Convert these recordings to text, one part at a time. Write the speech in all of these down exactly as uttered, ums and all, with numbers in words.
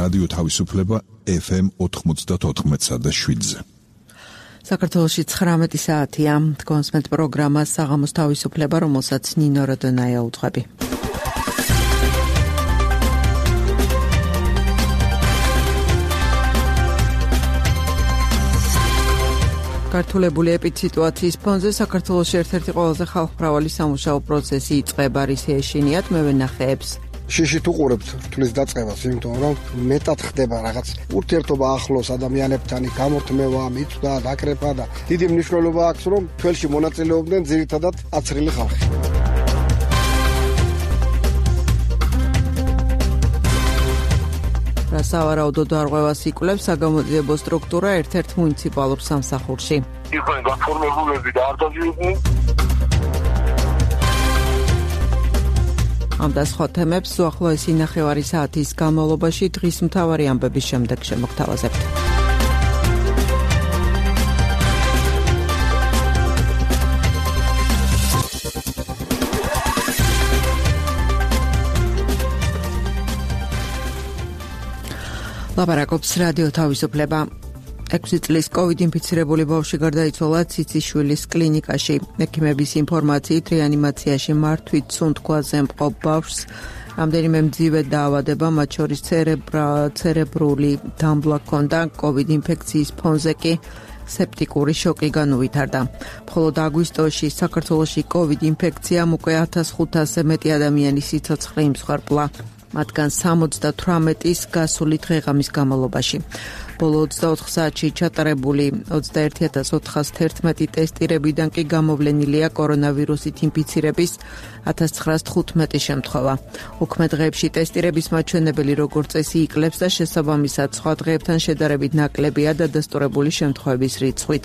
რადიო თავისუფლება ეფ ემ ოთხმოცდაოთხ და შვიდზე. საქართველოში ცხრამეტი საათია. კონსმენტ პროგრამა საღამოს თავისუფლება, რომელსაც ნინო როდონაია უძღვები. გართულებული ეპიდსიტუაციის ფონზე საქართველოში ერთ-ერთი ყველაზე ხალხმრავალი სამუშაო პროცესი იწყება, რის ეშინიათ მე ვენახეებს. შიშით უყურებთ რთulis დაწყებას, იმიტომ რომ მეტად ხდება რაღაც ურთიერთობა ახლოს ადამიანებთან, გამორთმევა, მიწვდა, დაკრეფა და დიდი მნიშვნელობა აქვს, რომ თველში მონაწილეობდნენ ძირითადად აცრილი ხალხი. სავარაუდოდ არღვევას იკვლევს საგამოძიებო სტრუქტურა ერთ-ერთ მუნიციპალურ სამსახურში. იყვნენ გაფორმებულები და არ დაგიყვნენ. ამ და სხვა თემებს უახლოესი ნახევარი საათის განმავლობაში დღის მთავარი ამბების შემდეგ შემოგთავაზებთ. ლაპარაკობს რადიო თავისუფლება. ექვსი წლის კოვიდ ინფიცირებული ბავშვი გარდაიცვალა ციციშვილის კლინიკაში. ექიმების ინფორმაციით რეანიმაციაში მართვით სუნთქვაზე მყოფ ბავშვს რამდენიმე მძიმე დაავადება, მათ შორის ცერებრული დამბლა ჰქონდა, კოვიდ ინფექციის ფონზე კი სეპტიკური შოკი განუვითარდა. მხოლოდ აგვისტოში საქართველოში კოვიდ ინფექციამ უკვე ათას ხუთასზე მეტი ადამიანის სიცოცხლე იმსხვერპლა. მათგან სამოცდათვრამეტის გასული დღეღამის განმავლობაში. ბოლო ოცდაოთხ საათში ჩატარებული ოცდაერთი ათას ოთხას თერთმეტი ტესტირებიდან კი გამოვლენილია კორონავირუსით ინფიცირების ათას ცხრაას თხუთმეტი შემთხვევა. უქმე დღეებში ტესტირების მაჩვენებელი როგორც წესი იკლებს და შესაბამისად სხვა დღეებთან შედარებით ნაკლებია დადასტურებული შემთხვევების რიცხვიც.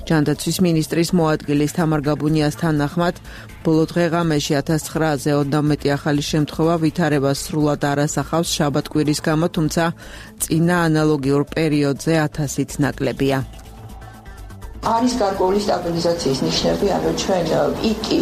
ჯანდაცვის მინისტრის მოადგილის თამარ გაბუნიას თანახმად, ბოლო დღეღამეში ათას ცხრააზე ოცდამეტი ახალი შემთხვევა ვითარებას სრულად არ ასახავს შაბათ-კვირის გამო, თუმცა წინა ანალოგიურ პერიოდზე ათასით ნაკლებია. არის გარკვეული სტაბილიზაციის ნიშნები, ანუ ჩვენ პიკი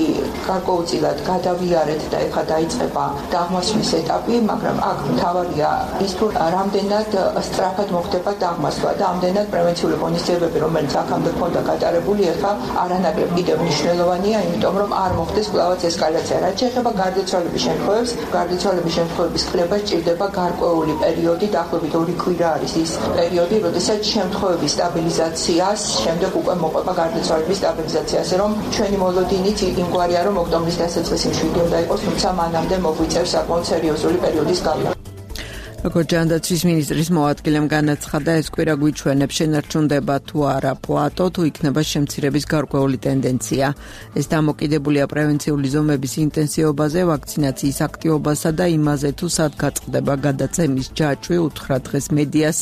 გარკვეულწილად გადავიარეთ და ეხლა დაიწყება დაღმასვლის ეტაპი, მაგრამ აქ მთავარია ის, თუ რამდენად სწრაფად მოხდება დაღმასვა და ამდენად პრევენციული ღონისძიებები, რომელიც აქამდე ჰქონდა გატარებული, ეხლა არანაკლებ კიდევ მნიშვნელოვანია, იმიტომ რომ არ მოხდეს კვლავაც ესკალაცია. რაც შეეხება გარდაცვალების შემთხვევებს, გარდაცვალების შემთხვევების კვლევა სჭირდება გარკვეული პერიოდი, დაახლოებით ორი კვირა არის ის პერიოდი, როდესაც შემთხვევების სტაბილიზაციას შემდეგ უკვე მოყვება გარდაცვალების სტაბილიზაციაზე, რომ ჩვენი მოლოდინით იმგვარია, რომ ოქტომბრის დასაწყისი მშვიდი უნდა იყოს, თუმცა მანამდე მოგვიწევს საკმაოდ სერიოზული პერიოდის გავლა. როგორც ჯანდაცვის მინისტრის მოადგილემ განაცხადა, ეს კვირა გვიჩვენებს, შენარჩუნდება თუ არა პლატო, თუ იქნება შემცირების გარკვეული ტენდენცია. ეს დამოკიდებულია პრევენციული ზომების ინტენსივობაზე, ვაქცინაციის აქტივობასა და იმაზე, თუ სად გაწყდება გადაცემის ჯაჭვი, უთხრა დღეს მედიას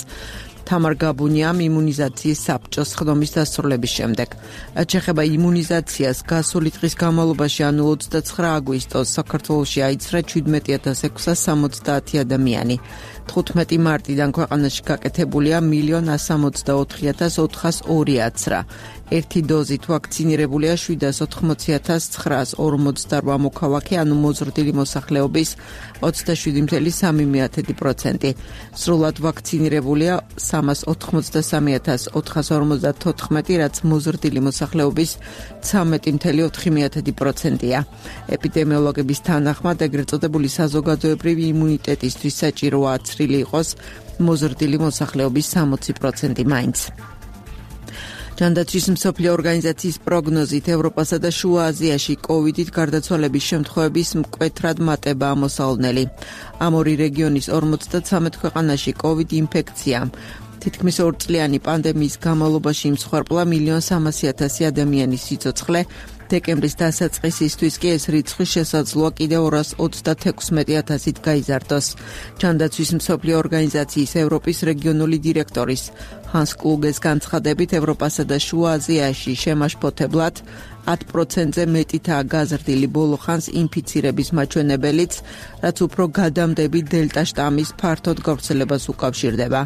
თამარ გაბუნიამ იმუნიზაციის საბჭოს ხდომის დასრულების შემდეგ. რაც შეეხება იმუნიზაციას, გასული დღის განმავლობაში, ანუ ოცდაცხრა აგვისტოს, საქართველოში აიცრა შვიდმეტი ათას ექვსას სამოცდაათი ადამიანი. თხუთმეტი მარტიდან ქვეყანაში გაკეთებულია მილიონ სამოცდაოთხი ათას ოთხას ორი აცრა. ერთი დოზით ვაქცინირებულია შვიდას ოთხმოცი ათას ცხრაას ორმოცდარვა მოქალაქე, ანუ მოზრდილი მოსახლეობის ოცდაშვიდი წელი სამი პროცენტი. სრულად ვაქცინირებულია სამას ოთხმოცდასამი ათას ოთხას ორმოცდათოთხმეტი, რაც მოზრდილი მოსახლეობის ცამეტი წელი ოთხი პროცენტია. ეპიდემიოლოგების თანახმად, ეგრეთ წოდებული საზოგადოებრივი იმუნიტეტისთვის საჭიროა აცრილი იყოს მოზრდილი მოსახლეობის სამოცი პროცენტი მაინც. ჯანდაცვის მსოფლიო ორგანიზაციის პროგნოზით ევროპასა და შუა აზიაში კოვიდით გარდაცვალების შემთხვევების მკვეთრად მატებაა მოსალოდნელი. ამ ორი რეგიონის ორმოცდათვრამეტ ქვეყანაში კოვიდ ინფექციამ თითქმის ორწლიანი პანდემიის განმავლობაში იმსხვერპლა მილიონ სამასი ათასი ადამიანის სიცოცხლე. დეკემბრის დასაწყისისთვის კი ეს რიცხვი შესაძლოა კიდევ ორას ოცდათექვსმეტი ათასით გაიზარდოს. ჯანდაცვის მსოფლიო ორგანიზაციის ევროპის რეგიონული დირექტორის ჰანს კლუგეს განცხადებით, ევროპასა და შუა აზიაში შემაშფოთებლად ათ პროცენტზე მეტითაა გაზრდილი ბოლო ხანს ინფიცირების მაჩვენებელიც, რაც უფრო გადამდები დელტა შტამის ფართოდ გავრცელებას უკავშირდება.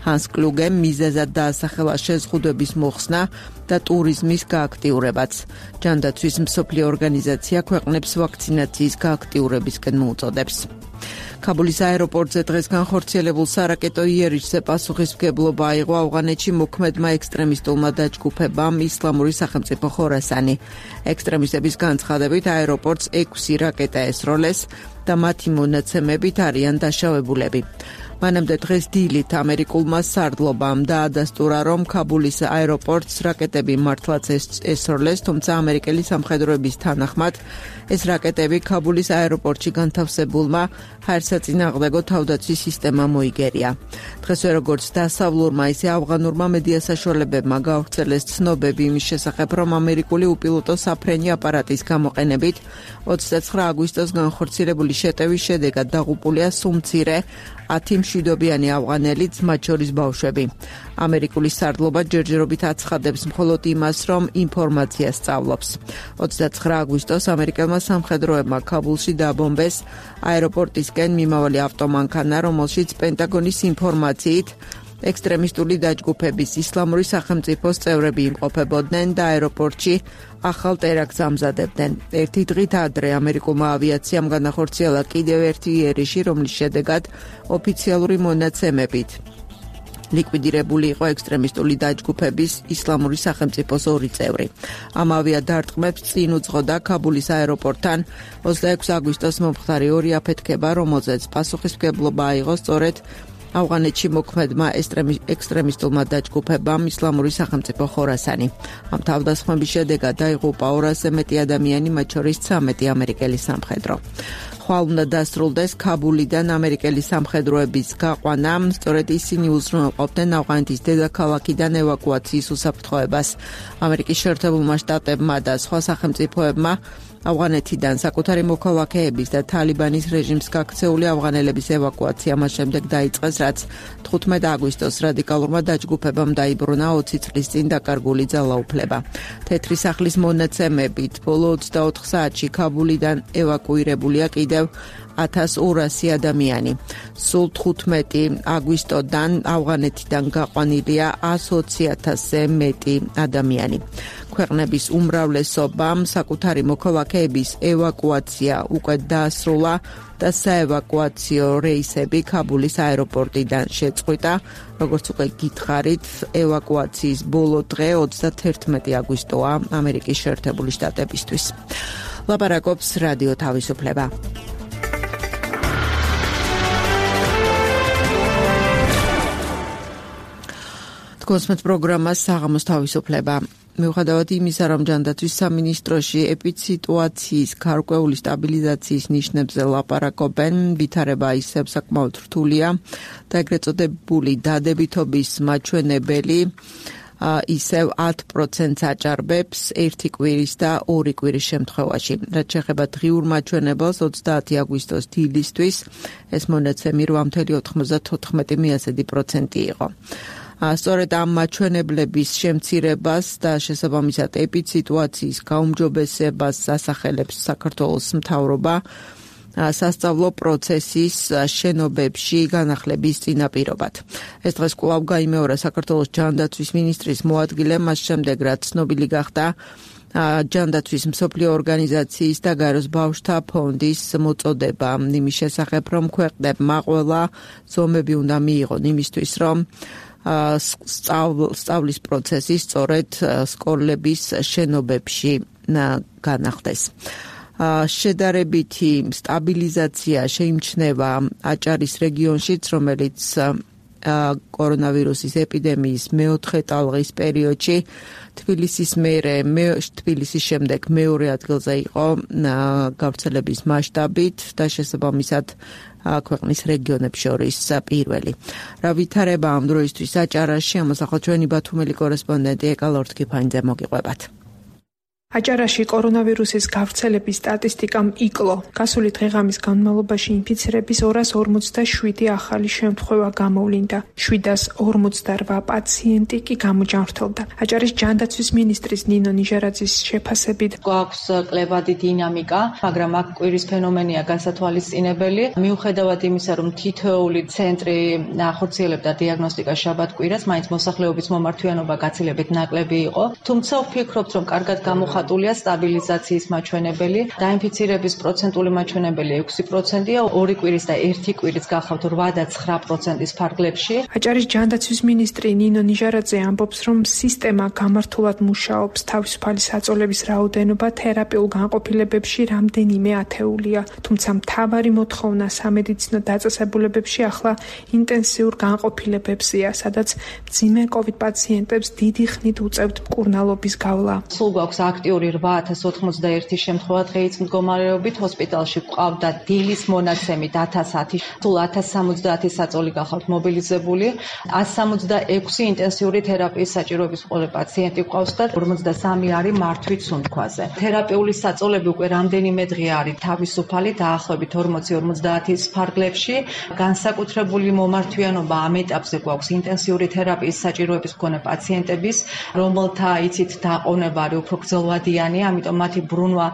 ჰანს კლუგემ მიზეზად დაასახელა შეზღუდვების მოხსნა და ტურიზმის გააქტიურებაც. ჯანდაცვის მსოფლიო ორგანიზაცია ქვეყნებს ვაქცინაციის გააქტიურებისკენ მოუწოდებს. ქაბულის აეროპორტზე დღეს განხორციელებულ სარაკეტო იერიშზე პასუხისმგებლობა აიღო ავღანეთში მოქმედმა ექსტრემისტულმა დაჯგუფებამ ისლამური სახელმწიფო ხორასანი. ექსტრემისტების განცხადებით აეროპორტს ექვსი რაკეტა ესროლეს და მათი მონაცემებით არიან დაშავებულები. მანამდე დღეს დილით ამერიკულმა სარდლობამ დაადასტურა, რომ ქაბულის აეროპორტს რაკეტები მართლაც ესროლეს, თუმცა ამერიკელი სამხედროების თანახმად ეს რაკეტები ქაბულის აეროპორტში განთავსებულმა ჰაერსაწინააღმდეგო თავდაცვის სისტემამ მოიგერია. დღესვე როგორც დასავლურმა, ისე ავღანურმა მედია საშუალებებმა გავრცელეს ცნობები იმის შესახებ, რომ ამერიკული უპილოტო საფრენი აპარატის გამოყენებით ოცდაცხრა აგვისტოს განხორციელებული შეტევის შედეგად დაღუპულია სუმცირე ათი მშვიდობიანი ავღანელიც, მათ შორის ბავშვები. ამერიკული სარდლობა ჯერჯერობით აცხადებს მხოლოდ იმას, რომ ინფორმაცია სწავლობს. ოცდაცხრა აგვისტოს ამერიკელმა სამხედროებმა ქაბულში დაბომბეს აეროპორტისკენ მიმავალი ავტომანქანა, რომელშიც პენტაგონის ინფორმაციით ექსტრემისტული დაჯგუფების ისლამური სახელმწიფოს წევრები იმყოფებოდნენ და აეროპორტში ახალ ტერაქტს ამზადებდნენ. ერთი დღით ადრე ამერიკულმა ავიაციამ განახორციელა კიდევ ერთი იერიში, რომლის შედეგად ოფიციალური მონაცემებით ლიკვიდირებული იყო ექსტრემისტული დაჯგუფების ისლამური სახელმწიფოს ორი წევრი. ამ ავიადარტყმებს წინ უძღოდა ქაბულის აეროპორტთან ოცდაექვსი აგვისტოს მომხდარი ორი აფეთქება, რომელზეც პასუხისმგებლობა აიღო სწორედ ავღანეთში მოქმედმა ექსტრემისტულმა დაჯგუფებამ ისლამური სახელმწიფო ხორასანი. ამ თავდასხმების შედეგად დაიღუპა ორასზე მეტი ადამიანი, მათ შორის ცამეტი ამერიკელი სამხედრო. ხვალ უნდა დასრულდეს ქაბულიდან ამერიკელი სამხედროების გაყვანა, სწორედ ისინი უზრუნველყოფდნენ ავღანეთის დედაქალაქიდან ევაკუაციის უსაფრთხოებას. ამერიკის შეერთებულმა შტატებმა და სხვა სახელმწიფოებმა ავღანეთიდან საკუთარი მოქალაქეების და თალიბანის რეჟიმს გაქცეული ავღანელების ევაკუაცია მას შემდეგ დაიწყეს, რაც თხუთმეტი აგვისტოს რადიკალურმა დაჯგუფებამ დაიბრუნა ოცი წლის წინ დაკარგული ძალაუფლება. თეთრი სახლის მონაცემებით ბოლო ოცდაოთხ საათში ქაბულიდან ევაკუირებულია კიდევ ათას ორასი ადამიანი. სულ თხუთმეტი აგვისტოდან ავღანეთიდან გაყვანილია ას ოცი ათასზე მეტი ადამიანი. ქვეყნების უმრავლესობამ საკუთარი მოქალაქეების ევაკუაცია უკვე დაასრულა და საევაკუაციო რეისები ქაბულის აეროპორტიდან შეწყვიტა. როგორც უკვე გითხარით, ევაკუაციის ბოლო დღე ოცდაათერთმეტი აგვისტოა ამერიკის შეერთებული შტატებისთვის. ლაპარაკობს რადიო თავისუფლება. კონსმეთ პროგრამას საღამოს თავისუფლება. მიუხედავად იმისა, რომ ჯანდაცვის სამინისტროში ეპიდსიტუაციის გარკვეული სტაბილიზაციის ნიშნებზე ლაპარაკობენ, ვითარება ისევ საკმაოდ რთულია და ეგრეთ წოდებული დადებითობის მაჩვენებელი ისევ ათ პროცენტს აჭარბებს ერთი კვირის და ორი კვირის შემთხვევაში. რაც შეეხება დღიურ მაჩვენებელს ოცდაათი აგვისტოს დილისთვის, ეს მონაცემი რვა virgulă ოთხმოცდათოთხმეტი პროცენტი იყო. სწორედ ამ მაჩვენებლების შემცირებას და შესაბამისად ეპიდსიტუაციის გაუმჯობესებას ასახელებს საქართველოს მთავრობა სასწავლო პროცესის შენობებში განახლების წინაპირობად. ეს დღეს კვლავ გაიმეორა საქართველოს ჯანდაცვის მინისტრის მოადგილემ, მას შემდეგ რაც ცნობილი გახდა ჯანდაცვის მსოფლიო ორგანიზაციის და გაეროს ბავშვთა ფონდის მოწოდება იმის შესახებ, რომ ქვეყნებმა ყველა ზომები უნდა მიიღონ იმისთვის, რომ სწავლის პროცესი სწორედ სკოლების შენობებში განახდეს. შედარებითი სტაბილიზაცია შეიმჩნევა აჭარის რეგიონშიც, რომელიც კორონავირუსის ეპიდემიის მეოთხე ტალღის პერიოდში თბილისის მერე თბილისის შემდეგ მეორე ადგილზე იყო გავრცელების მასშტაბით და შესაბამისად ქვეყნის რეგიონებს შორის პირველი. რა ვითარება ამ დროისთვის აჭარაში, ამასახოთ ჩვენი ბათუმელი კორესპონდენტი ეკალორთქიფანიძე მოგიყვებათ. აჭარაში კორონავირუსის გავრცელების სტატისტიკამ იკლო. გასული დღეღამის განმავლობაში ინფიცირების ორას ორმოცდაშვიდი ახალი შემთხვევა გამოვლინდა. შვიდას ორმოცდარვა პაციენტი კი გამოჯანმრთელდა. აჭარის ჯანდაცვის მინისტრის ნინო ნიჟარაძის შეფასებით გვაქვს კლებადი დინამიკა, მაგრამ აქ კვირის ფენომენია გასათვალისწინებელი. მიუხედავად იმისა, რომ თითოეული ცენტრი ახორციელებდა დიაგნოსტიკას შაბათ-კვირას, მაინც მოსახლეობის მომართვიანობა გაცილებით ნაკლები იყო. თუმცა ვფიქრობთ, რომ კარგად გამოხატულია გამოხატულია სტაბილიზაციის მაჩვენებელი, დაინფიცირების პროცენტული მაჩვენებელი ექვსი პროცენტია, ორი კვირის და ერთი კვირის გახავთ რვა და ცხრა პროცენტის ფარგლებში. აჭარის ჯანდაცვის მინისტრი ნინო ნიჟარაძე ამბობს, რომ სისტემა გამართულად მუშაობს, თავისუფალი საწოლების რაოდენობა თერაპიულ განყოფილებებში რამდენიმე ათეულია, თუმცა მთავარი მოთხოვნა სამედიცინო დაწესებულებებში ახლა ინტენსიურ განყოფილებებზეა, სადაც მძიმე კოვიდ პაციენტებს დიდი ხნით უწევთ მკურნალობის გავლა. სულ გვაქვს აქტიური რვა ათას ოთხმოცდაერთი შემთხვევა დღეის მდგომარეობით, ჰოსპიტალში გვყავდა დილის მონაცემით ათას ათი, სულ ათას სამოცდაათი საწოლი გახავთ მობილიზებული, ათს სამოცდაექვსი ინტენსიური თერაპიის საჭიროების მქონე პაციენტი გვყავს და ორმოცდასამი არის მართვით სუნთქვაზე. თერაპიული საწოლები უკვე რამდენიმე დღე არის თავისუფალი, დაახლოებით ორმოცი ორმოცდაათის ფარგლებში. განსაკუთრებული მომართვიანობა ამ ეტაპზე გვაქვს ინტენსიური თერაპიის საჭიროების მქონე პაციენტების, რომელთა იცით დაყოვნება არის უფრო გრძელვადიანი, ამიტომ მათი ბრუნვა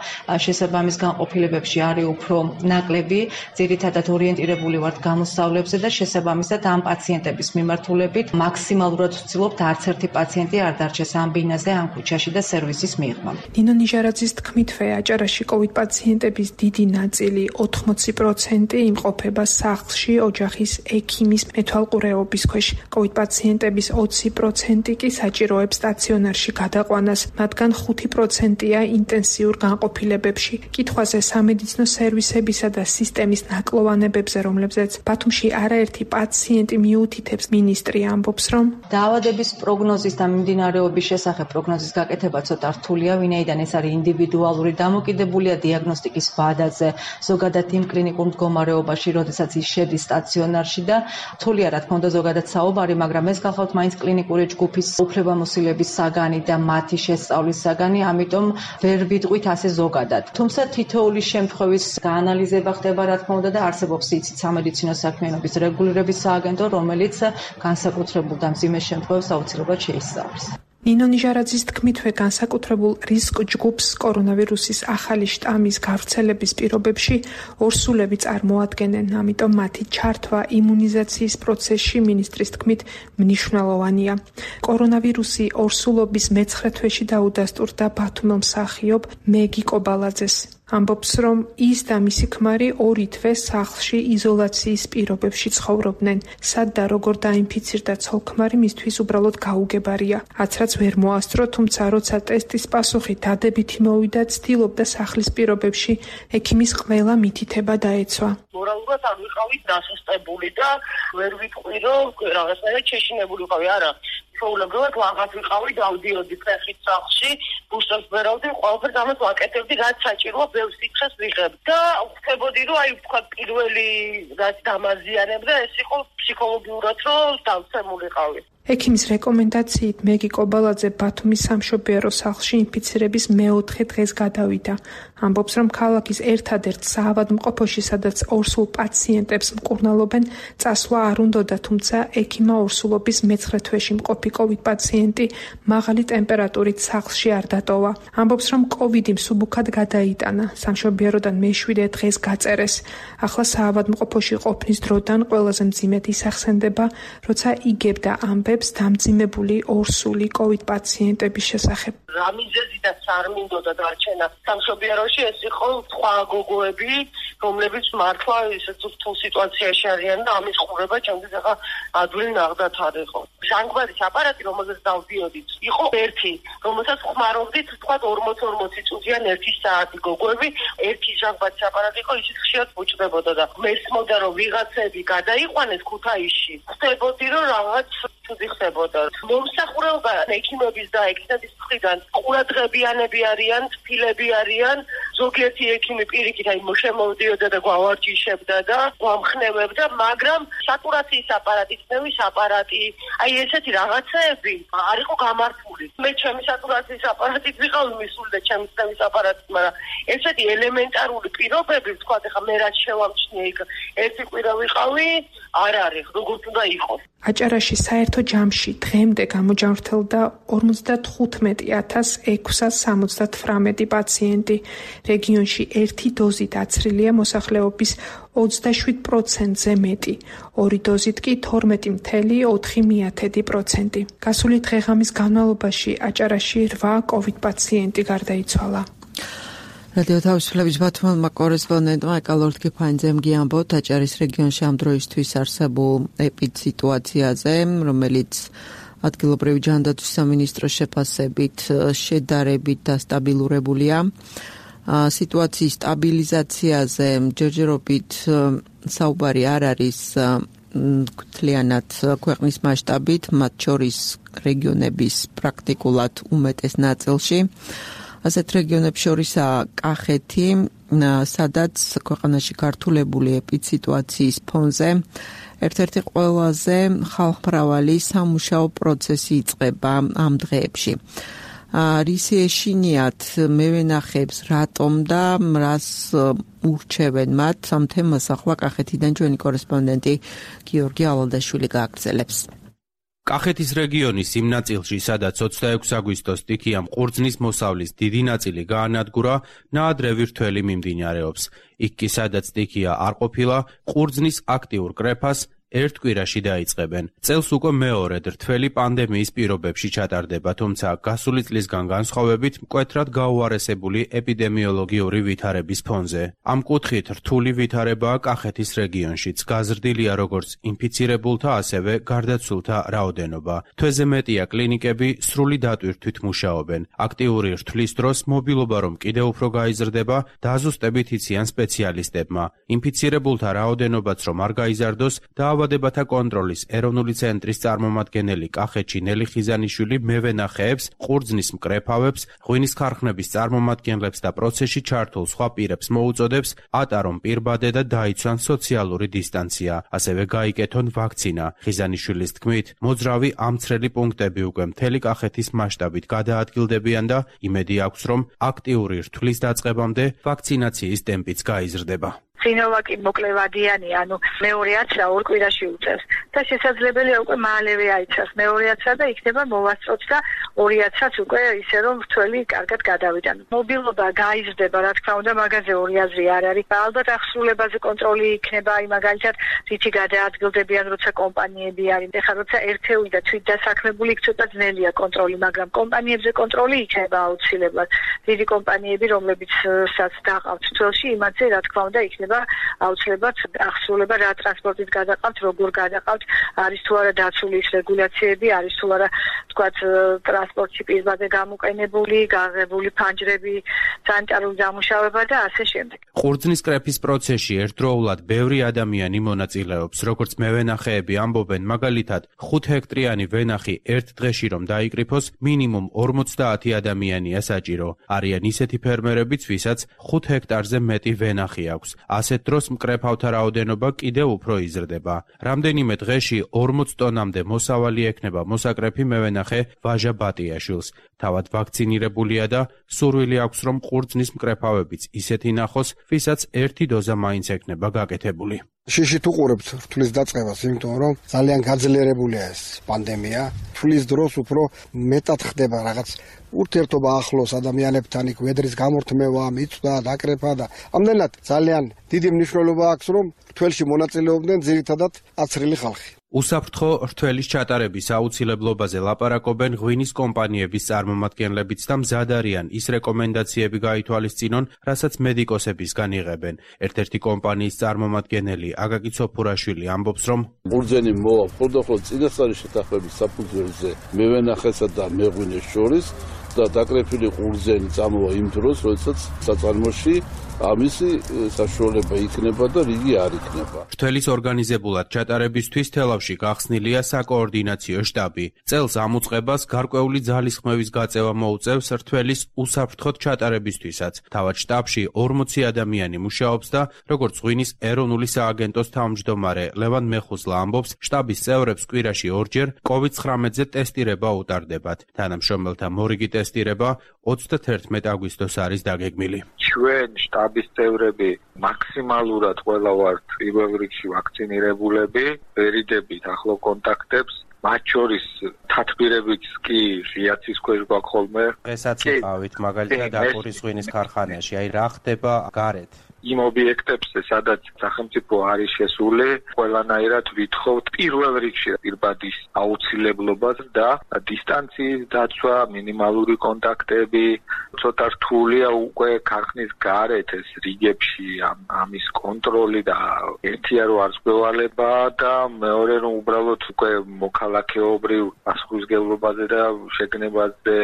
შესაბამის განყოფილებებში არის უფრო ნაკლები. ძირითადად ორიენტირებული ვართ გამოსავლებზე და შესაბამისად ამ პაციენტების მიმართულებით მაქსიმალურად ვცდილობთ არც ერთი პაციენტი არ დარჩეს ამ ბინაზე, ამ ქუჩაში და სერვისის მიღმა. ნინო ნიჟარაძის თქმითვე, აჭარაში კოვიდ პაციენტების დიდი ნაწილი, ოთხმოცი პროცენტი იმყოფება სახლში, ოჯახის ექიმის მეთვალყურეობის ქვეშ. კოვიდ პაციენტების ოცი პროცენტი კი საჭიროებს სტაციონარში გადაყვანას, მათგან ხუთი პროცენტია ინტენსიურ განყოფილებებში. კითხვაზე სამედიცინო სერვისებისა და სისტემის ნაკლოვანებებზე, რომლებზეც ბათუმში არაერთი პაციენტი მიუთითებს, მინისტრი ამბობს, რომ დაავადების პროგნოზის და მიმდინარეობის შესახებ პროგნოზის გაკეთება ცოტა რთულია, ვინაიდან ეს არის ინდივიდუალური, დამოკიდებულია დიაგნოსტიკის ვადაზე, ზოგადად იმ კლინიკურ მდგომარეობაში, როდესაც ის შედის სტაციონარში და რთულია, რა თქმა უნდა, ზოგადად საუბარი, მაგრამ ეს გახავთ მაინც კლინიკური ჯგუფის უფლებამოსილების საგანი და მათი შესწავლის საგანი, ამიტომ ვერ ვიტყვით ასე ზოგადად. თუმცა თითოეული შემთხვევის გაანალიზება ხდება, რა თქმა უნდა, და არსებობს იცით სამედიცინო საქმიანობის რეგულირების სააგენტო, რომელიც განსაკუთრებულ და მძიმე შემთხვევებს აუცილებლად შეისწავლის. ნინო ნიჟარაძის თქმითვე, განსაკუთრებულ რისკ ჯგუფს კორონავირუსის ახალი შტამის გავრცელების პირობებში ორსულები წარმოადგენენ, ამიტომ მათი ჩართვა იმუნიზაციის პროცესში მინისტრის თქმით მნიშვნელოვანია. კორონავირუსი ორსულობის მეცხრე თვეში დაუდასტურდა ბათუმელ მსახიობ მეგი კობალაძეს. ამბობს, რომ ის და მისი ქმარი ორი თვე სახლში იზოლაციის პირობებში ცხოვრობდნენ. სად და როგორ დაინფიცირდა ცოლ-ქმარი მისთვის უბრალოდ გაუგებარია. აცრაც ვერ მოასწრო, თუმცა როცა ტესტის პასუხი დადებითი მოვიდა, ცდილობდა სახლის პირობებში ექიმის ყველა მითითება დაეცვა. მორალურად არ ვიყავით დასუსტებული და ვერ ვიტყვი, რომ რაღაცნაირად შეშინებული ვიყავი, არა. ჩვეულებრივად ვაღაც ვიყავი, დავდიოდი ფეხით სახლში, ბუშტებს ვერავდი, ყველაფერს ამას ვაკეთებდი, რაც საჭიროა ბევრ სიცხეს ვიღებ. და ვხვდებოდი, რომ აი თქვა პირველი რაც დამაზიანებდა, ეს იყო ფსიქოლოგიურად, რომ დავცემულიყავი. ექიმის რეკომენდაციით მეგი კობალაძე ბათუმის სამშობიარო სახლში ინფიცირების მეოთხე დღეს გადავიდა. ამბობს, რომ ქალაქის ერთადერთ საავადმყოფოში, სადაც ორსულ პაციენტებს მკურნალობენ, წასვლა არ უნდოდა, თუმცა ექიმა ორსულობის მეცხრე თვეში მყოფი კოვიდ პაციენტი მაღალი ტემპერატურით სახლში არ დატოვა. ამბობს, რომ კოვიდი მსუბუქად გადაიტანა, სამშობიაროდან მეშვიდე დღეს გაწერეს. ახლა საავადმყოფოში ყოფნის დროდან ყველაზე მძიმედ ისახსენდება, როცა იგებდა ამბებს დამძიმებული ორსული კოვიდ პაციენტების შესახებ. რა მიზეზიდაც არ მინდოდა დარჩენა სამშობიაროში, ეს იყო სხვა გოგოები, რომლებიც მართლა ისეთ რთულ სიტუაციაში არიან და ამის ყურება ჩემთვის ახლა ადვილი ნაღდათ არ იყო. ჟანგბადის აპარატი, რომელზეც დავდიოდით, იყო ერთი, რომელსაც ხმარობდით თქვა ორმოც ორმოცი წუთიან ერთი საათი გოგოები, ერთი ჟანგბადის აპარატი იყო, ისიც ხშირად ბუჭდებოდა და მესმოდა, რომ ვიღაცები გადაიყვანეს ქუთაისში. ხდებოდი, რომ რაღაც ცუდი ხდებოდა. მომსახურება ექიმების და ექიმების მხრიდან ყურადღებიანები არიან, თბილები არიან, ზოგიერთი ექიმი პირიქით აი შემოვდიოდა და გვავარჯიშებდა და გვამხნევებდა, მაგრამ სატურაციის აპარატი, წნევის აპარატი, აი ესეთი რაღაცეები არ იყო გამართული. მე ჩემი სატურაციის აპარატით ვიყავი მისული და ჩემი წნევის აპარატით, მაგრამ ესეთი ელემენტარული პირობები, თქვა ახლა მე რაც შევამჩნიე იქ ერთი კვირა ვიყავი, არ არის, როგორც უნდა იყოს. აჭარაში საერთო ჯამში დღემდე გამოჯანმრთელდა ორმოცდათხუთმეტი ათას ექვსას სამოცდათვრამეტი პაციენტი. რეგიონში ერთი დოზი დაცრილია მოსახლეობის ოცდაშვიდ პროცენტზე მეტი, ორი დოზით კი თორმეტი მცდამეტი ოთხი პროცენტი. გასული დღე-ღამის განმავლობაში აჭარაში რვა კოვიდ პაციენტი გარდაიცვალა. რადიო თავისუფლების ბათუმელმა კორესპონდენტმა ეკალორდ კიფაინძემ გიამბოთ აჭარის რეგიონში ამ დროისთვის არსებულ ეპიდსიტუაციაზე, რომელიც ადგილობრივი ჯანდაცვის სამინისტროს შეფასებით შედარებით დასტაბილურებულია. სიტუაციის სტაბილიზაციაზე ჯერჯერობით საუბარი არ არის მთლიანად ქვეყნის მასშტაბით, მათ შორის რეგიონების პრაქტიკულად უმეტეს ნაწილში. ასეთ რეგიონებს შორისაა კახეთი, სადაც ქვეყანაში გართულებული ეპიდსიტუაციის ფონზე ერთ-ერთი ყველაზე ხალხმრავალი სამუშაო პროცესი იწყება ამ დღეებში. რისი ეშინიათ მევენახებს რატომ და რას ურჩევენ მათ ამ თემას ახლა კახეთიდან ჩვენი კორესპონდენტი გიორგი ალალდაშვილი გააგრძელებს. კახეთის რეგიონის იმ ნაწილში, სადაც ოცდაექვსი აგვისტოს სტიქიამ ყურძნის მოსავლის დიდი ნაწილი გაანადგურა, ნაადრევი რთველი მიმდინარეობს. იქ კი სადაც სტიქია არ ყოფილა, ყურძნის აქტიურ კრეფას ერთ კვირაში დაიწყებენ. წელს უკვე მეორედ რთველი პანდემიის პირობებში ჩატარდება, თუმცა გასული წლისგან განსხვავებით მკვეთრად გაუარესებული ეპიდემიოლოგიური ვითარების ფონზე. ამ კუთხით რთული ვითარებაა კახეთის რეგიონშიც, გაზრდილია როგორც ინფიცირებულთა, ასევე გარდაცვლთა რაოდენობა. თვეზე მეტია კლინიკები სრული დატვირთვით მუშაობენ. აქტიური რთვლის დროს მობილობა რომ კიდევ უფრო გაიზრდება, დაზუსტებით იციან სპეციალისტებმა. ინფიცირებულთა რაოდენობაც რომ არ გაიზარდოს, დაავადებათა კონტროლის ეროვნული ცენტრის წარმომადგენელი კახეთში ნელი ხიზანიშვილი მევენახეებს, ყურძნის მკრეფავებს, ღვინის ქარხნების წარმომადგენლებს და პროცესში ჩართულ სხვა პირებს მოუწოდებს ატარონ პირბადე და დაიცვან სოციალური დისტანცია, ასევე გაიკეთონ ვაქცინა. ხიზანიშვილის თქმით, მოძრავი ამცრელი პუნქტები უკვე მთელი კახეთის მასშტაბით გადაადგილდებიან და იმედი აქვს, რომ აქტიური რთვლის დაწყებამდე ვაქცინაციის ტემპიც გაიზრდება. სინოვაკი მოკლევადიანი, ანუ მეორე აცრა ორ კვირაში უწევს და შესაძლებელია უკვე მალევე აიცას მეორე აცრა და იქნება მოვასწროთ და ორი აცრაც უკვე ისე რომ რთველი კარგად გადავიდან. მობილობა გაიზრდება, რა თქმა უნდა, მაგაზე ორი აზრი არ არის. ალბათ აღსრულებაზე კონტროლი იქნება, აი მაგალითად რითი გადაადგილდებიან, როცა კომპანიები არის. ეხლა როცა ერთეული და თვითდასაქმებული იქ ცოტა ძნელია კონტროლი, მაგრამ კომპანიებზე კონტროლი იქნება აუცილებლად. დიდი კომპანიები, რომლებიცაც დაყავთ თვალში, იმათზე რა თქმა უნდა იქნება აუცილებლად აღსრულება რა ტრანსპორტით გადაყავთ, როგორ გადაყავთ, არის თუ არა დაცული ის რეგულაციები, არის თუ არა თქვათ ტრანსპორტში პირბადე გამოყენებული, გაღებული ფანჯრები, სანიტარული დამუშავება და ასე შემდეგ. ყურძნის კრეფის პროცესში ერთდროულად ბევრი ადამიანი მონაწილეობს, როგორც მევენახეები ამბობენ, მაგალითად ხუთ ჰექტრიანი ვენახი ერთ დღეში რომ დაიკრიფოს, მინიმუმ ორმოცდაათი ადამიანია საჭირო. არიან ისეთი ფერმერებიც, ვისაც ხუთ ჰექტარზე მეტი ვენახი აქვს. ასეთ დროს მკრეფავთა რაოდენობა კიდევ უფრო იზრდება. რამდენიმე დღეში ორმოც ტონამდე მოსავალი ექნება მოსაკრეფი მევენახე ვაჟა ბატიაშვილს. თავად ვაქცინირებულია და სურვილი აქვს, რომ ყურძნის მკრეფავებიც ისეთი ნახოს, ვისაც ერთი დოზა მაინც ექნება გაკეთებული. შიშით უყურებთ რთვლის დაწყებას, იმიტომ რომ ძალიან გაძლიერებულია ეს პანდემია. რთვლის დროს უფრო მეტად ხდება რაღაც ურთიერთობა ახლოს ადამიანებთან, იქ ვედრის გამორთმევა, მიწვა, დაკრეფა და ამდენად ძალიან დიდი მნიშვნელობა აქვს, რომ რთველში მონაწილეობდნენ ძირითადად აცრილი ხალხი. უსაფრთხო რთველის ჩატარების აუცილებლობაზე ლაპარაკობენ ღვინის კომპანიების წარმომადგენლებიც და მზად არიან ის რეკომენდაციები გაითვალისწინონ, რასაც მედიკოსებისგან იღებენ. ერთ-ერთი კომპანიის წარმომადგენელი აკაკი ცოფურაშვილი ამბობს, რომ ყურძენი მოვა მხოლოდ წინასწარი შეთანხმების საფუძველზე მევენახესა და მეღვინეს შორის და დაკრეფილი ყურძენი წამოვა იმ დროს, როდესაც საწარმოში ამისი საშუალება იქნება და რიგი არ იქნება. რთველის ორგანიზებულად ჩატარებისთვის თელავში გახსნილია საკოორდინაციო შტაბი. წელს ამ უწყებას გარკვეული ძალისხმევის გაწევა მოუწევს რთველის უსაფრთხოდ ჩატარებისთვისაც. თავად შტაბში ორმოცი ადამიანი მუშაობს და როგორც ღვინის ეროვნული სააგენტოს თავმჯდომარე ლევან მეხუზლა ამბობს, შტაბის წევრებს კვირაში ორჯერ კოვიდ ცხრამეტზე ტესტირება უტარდებათ. თანამშრომელთა მორიგი ტესტირება ოცდათერთმეტ აგვისტოს არის დაგეგმილი. ჩვენ შტაბის წევრები მაქსიმალურად ყველა ვართ პირველ რიგში ვაქცინირებულები, ვერიდებით ახლო კონტაქტებს მათ შორის თათბირებიც კი ღიაცის ქვეშ გვაქვს ხოლმე. ესაც იყავით მაგალითად დაკურის ღვინის ქარხანაში, აი რა ხდება გარეთ? იმ ობიექტებზე, სადაც სახელმწიფო არის შესული, ყველანაირად ვითხოვთ პირველ რიგში პირბადის აუცილებლობას და დისტანციის დაცვა, მინიმალური კონტაქტები, ცოტა რთულია უკვე ქარხნის გარეთ ეს რიგებში ამის კონტროლი და ერთია რომ არ ზღვევალება და მეორე რომ უბრალოდ უკვე მოქალაქეობრივ პასუხისმგებლობაზე და შეგნებაზე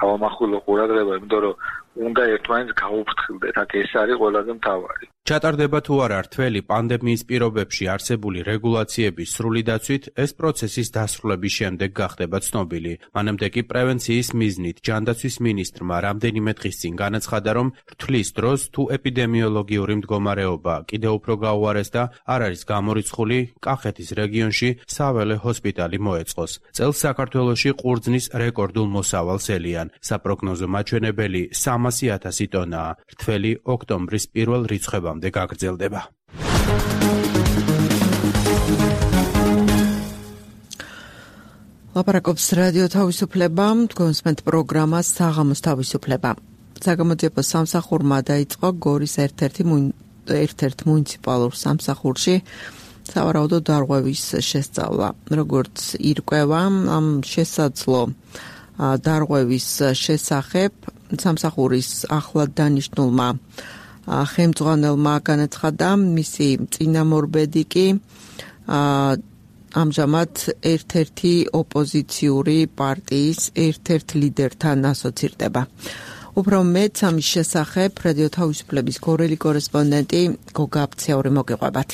გავამახვილო ყურადღება, იმიტომ რომ უნდა ერთმანეთს გაუფრთხილდეთ, აქ ეს არის ყველაზე მთავარი. ჩატარდება თუ არა რთველი პანდემიის პირობებში არსებული რეგულაციების სრული დაცვით, ეს პროცესის დასრულების შემდეგ გახდება ცნობილი. მანამდე კი პრევენციის მიზნით ჯანდაცვის მინისტრმა რამდენიმე დღის წინ განაცხადა, რომ რთვლის დროს თუ ეპიდემიოლოგიური მდგომარეობა კიდევ უფრო გაუარეს და არ არის გამორიცხული, კახეთის რეგიონში საველე ჰოსპიტალი მოეწყოს. წელს საქართველოში ყურძნის რეკორდულ მოსავალს ელიან. საპროგნოზო მაჩვენებელი სამასი ათასი ტონაა. რთველი ოქტომბრის პირველ რიცხვებამდე გაგრძელდება. ლაპარაკობს რადიო თავისუფლება, თქვენსმენთ პროგრამა საღამოს თავისუფლება. საგამოძიებო სამსახურმა დაიწყო გორის ერთ-ერთი ერთ-ერთ მუნიციპალურ სამსახურში სავარაუდო დარღვევის შესწავლა. როგორც ირკვევა, ამ შესაძლო დარღვევის შესახებ სამსახურის ახლად დანიშნულმა ხელმძღვანელმა განაცხადა, მისი წინამორბედი კი ამჟამად ერთ-ერთი ოპოზიციური პარტიის ერთ-ერთ ლიდერთან ასოცირდება. უფრო მეტ ამის შესახებ რადიო თავისუფლების გორელი კორესპონდენტი გოგა აფციური მოგიყვებათ.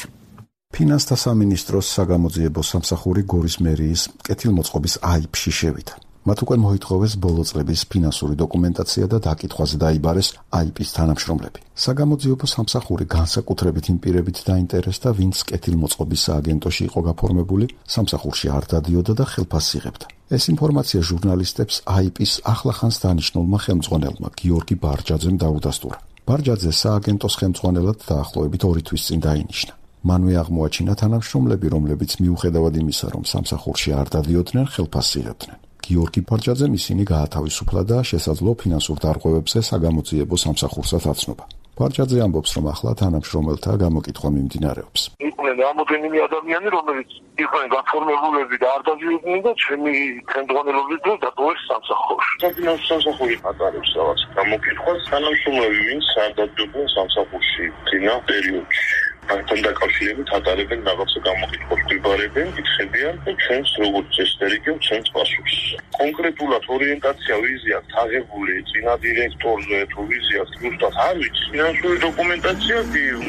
ფინანსთა სამინისტროს საგამოძიებო სამსახური გორის მერიის კეთილმოწყობის აიფში შევიდა. მათ უკვე მოითხოვეს ბოლო წლების ფინანსური დოკუმენტაცია და დაკითხვაზე დაიბარეს აიპის თანამშრომლები. საგამოძიებო სამსახური განსაკუთრებით იმ პირებით დაინტერესდა, ვინც კეთილმოწყობის სააგენტოში იყო გაფორმებული, სამსახურში არ დადიოდა და ხელფასს იღებდა. ეს ინფორმაცია ჟურნალისტებს აიპის ახლახანს დანიშნულმა ხელმძღვანელმა გიორგი ბარჯაძემ დაუდასტურა. ბარჯაძე სააგენტოს ხელმძღვანელად დაახლოებით ორი თვის წინ დაინიშნა. მანვე აღმოაჩინა თანამშრომლები, რომლებიც მიუხედავად იმისა, რომ სამსახურში არ დადიოდნენ, ხელფასს იღებდნენ. გიორგი ბარჯაძემ ისინი გაათავისუფლა და შესაძლო ფინანსურ დარღვევებზე საგამოძიებო სამსახურსაც აცნობა. ბარჯაძე ამბობს, რომ ახლა თანამშრომელთა გამოკითხვა მიმდინარეობს. იყვნენ რამოდენიმე ადამიანი, რომლებიც იყვნენ გაფორმებულები და არ დადიოდნენ და ჩემი ხელმძღვანელობის დროს დატოვეს სამსახურში. საფინანსო სამსახური ატარებს რაღაც გამოკითხვას, თანამშრომლები, ვინც არ დადიოდნენ სამსახურში წინა პერიოდში. ამთან დაკავშირებით ატარებენ რაღაცა გამოკითხვას, გვიბარებენ, იკითხებიან და ჩვენს როგორც წესდერიგებ ჩვენს პასუხს. კონკრეტულად ორიენტაცია ვიზია თაღებული წინა დირექტორზე თუ ვიზია ზუსტად არ ვიცი. ფინანსური დოკუმენტაცია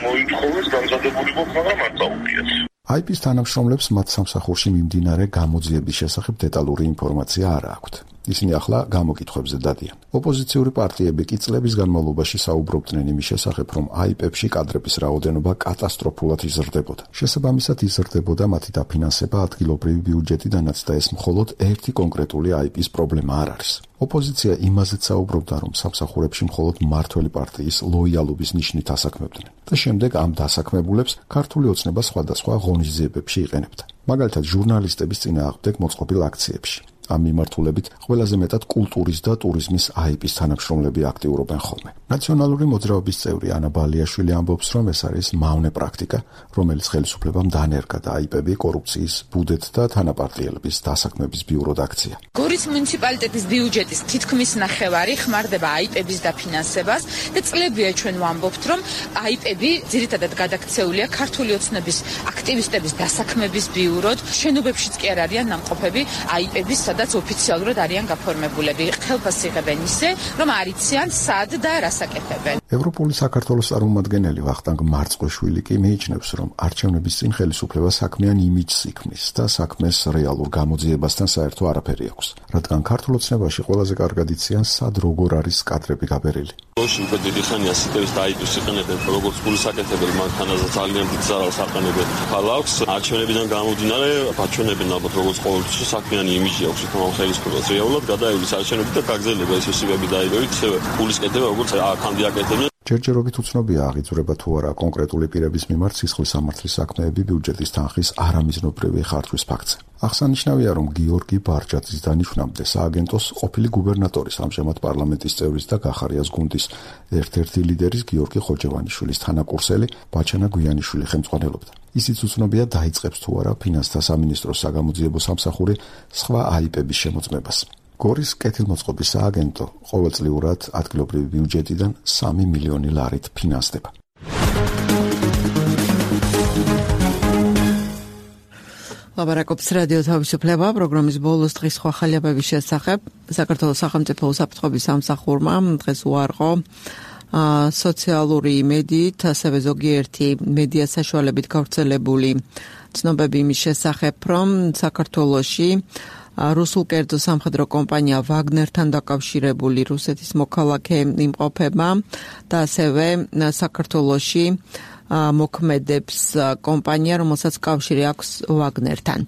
მოითხოვეს დამზადებული ყოფნა, მაგრამ არ წაუღიათ. აიპის თანამშრომლებს მათ სამსახურში მიმდინარე გამოძიების შესახებ დეტალური ინფორმაცია არ აქვთ. ისინი ახლა გამოკითხვებზე დადიან. ოპოზიციური პარტიები კი წლების განმავლობაში საუბრობდნენ იმის შესახებ, რომ აიპებში კადრების რაოდენობა კატასტროფულად იზრდებოდა. შესაბამისად იზრდებოდა მათი დაფინანსება ადგილობრივი ბიუჯეტიდანაც და ეს მხოლოდ ერთი კონკრეტული აიპის პრობლემა არ არის. ოპოზიცია იმაზეც საუბრობდა, რომ სამსახურებში მხოლოდ მმართველი პარტიის ლოიალობის ნიშნით ასაქმებდნენ და შემდეგ ამ დასაქმებულებს ქართული ოცნება სხვადასხვა ღონისძიებებში იყენებდა. მაგალითად, ჟურნალისტების წინააღმდეგ მოწყობილ აქციებში. ამ მიმართულებით ყველაზე მეტად კულტურის და ტურიზმის აიპის თანამშრომლები აქტიურობენ ხოლმე. ნაციონალური მოძრაობის წევრი ანა ბალიაშვილი ამბობს, რომ ეს არის მავნე პრაქტიკა, რომელიც ხელისუფლებამ დანერგა და აიპები კორუფციის, ბუდეთ და თანაპარტიელების დასაქმების ბიუროდ აქცია. გორის მუნიციპალიტეტის ბიუჯეტის თითქმის ნახევარი ხმარდება აიპების დაფინანსებას და წლებია ჩვენ ვამბობთ, რომ აიპები ძირითადად გადაქცეულია ქართული ოცნების აქტივისტების დასაქმების ბიუროდ. შენობებშიც კი არ არიან ნამყოფები აიპების, სადაც ოფიციალურად არიან გაფორმებულები. ხელფასს იღებენ ისე, რომ არ იციან სად და რას აკეთებენ. ევროპული საქართველოს წარმომადგენელი ვახტანგ მარწყოშვილი კი მიიჩნევს, რომ არჩევნების წინ ხელისუფლება საქმიან იმიჯს იქმნის და საქმეს რეალურ გამოძიებასთან საერთო არაფერი აქვს, რადგან ქართულ ოცნებაში ყველაზე კარგად იციან სად როგორ არის კადრები გაბერილი. ლოში უკვე დიდი ხანია სიტევის და აიპის იყენებენ როგორც გულის აკეთებელი, მანქანაზე ძალიან დიდ ზარალს აყენებენ. ხალხს არჩევნებიდან გამომდინარე, აჩვენებენ ალბათ როგორც ყოველთვის საქმიანი იმიჯი აქვს თვითონ ხელისუფლებას. რეალურად გადაივლის არჩევნები და გაგრძელება ეს ოსებები დაიბევით, ისევე გულის კეთება როგორც აქამდე აკეთებდნენ. ჯერჯერობით უცნობია აღიძვრება თუ არა კონკრეტული პირების მიმართ სისხლის სამართლის საქმეები ბიუჯეტის თანხის არამიზნობრივი ხარჯვის ფაქტზე. აღსანიშნავია, რომ გიორგი ბარჯაძის დანიშვნამდე სააგენტოს ყოფილი გუბერნატორის, ამჟამად პარლამენტის წევრის და გახარიას გუნდის ერთ-ერთი ლიდერის გიორგი ხოჯევანიშვილის თანაკურსელი ბაჩანა გვიანიშვილი ხელმძღვანელობდა. ისიც უცნობია, დაიწყებს თუ არა ფინანსთა სამინისტროს საგამოძიებო სამსახური სხვა აიპების შემოწმებას. გორის კეთილმოწყობის სააგენტო ყოველწლიურად ადგილობრივი ბიუჯეტიდან სამი მილიონი ლარით ფინანსდება. ლაბარაკობს რადიო თავისუფლება პროგრამის ბოლოს დღის სხვა ხალხების შესახებ. საქართველოს სახელმწიფო უსაფრთხოების სამსახურმა დღეს უარყო სოციალური იმედით, ასევე ზოგიერთი მედია საშუალებით გავრცელებული ცნობები იმის შესახებ, რომ საქართველოში რუსულ კერძო სამხედრო კომპანია ვაგნერთან დაკავშირებული რუსეთის მოქალაქე იმყოფება და ასევე საქართველოში მოქმედებს კომპანია, რომელსაც კავშირი აქვს ვაგნერთან.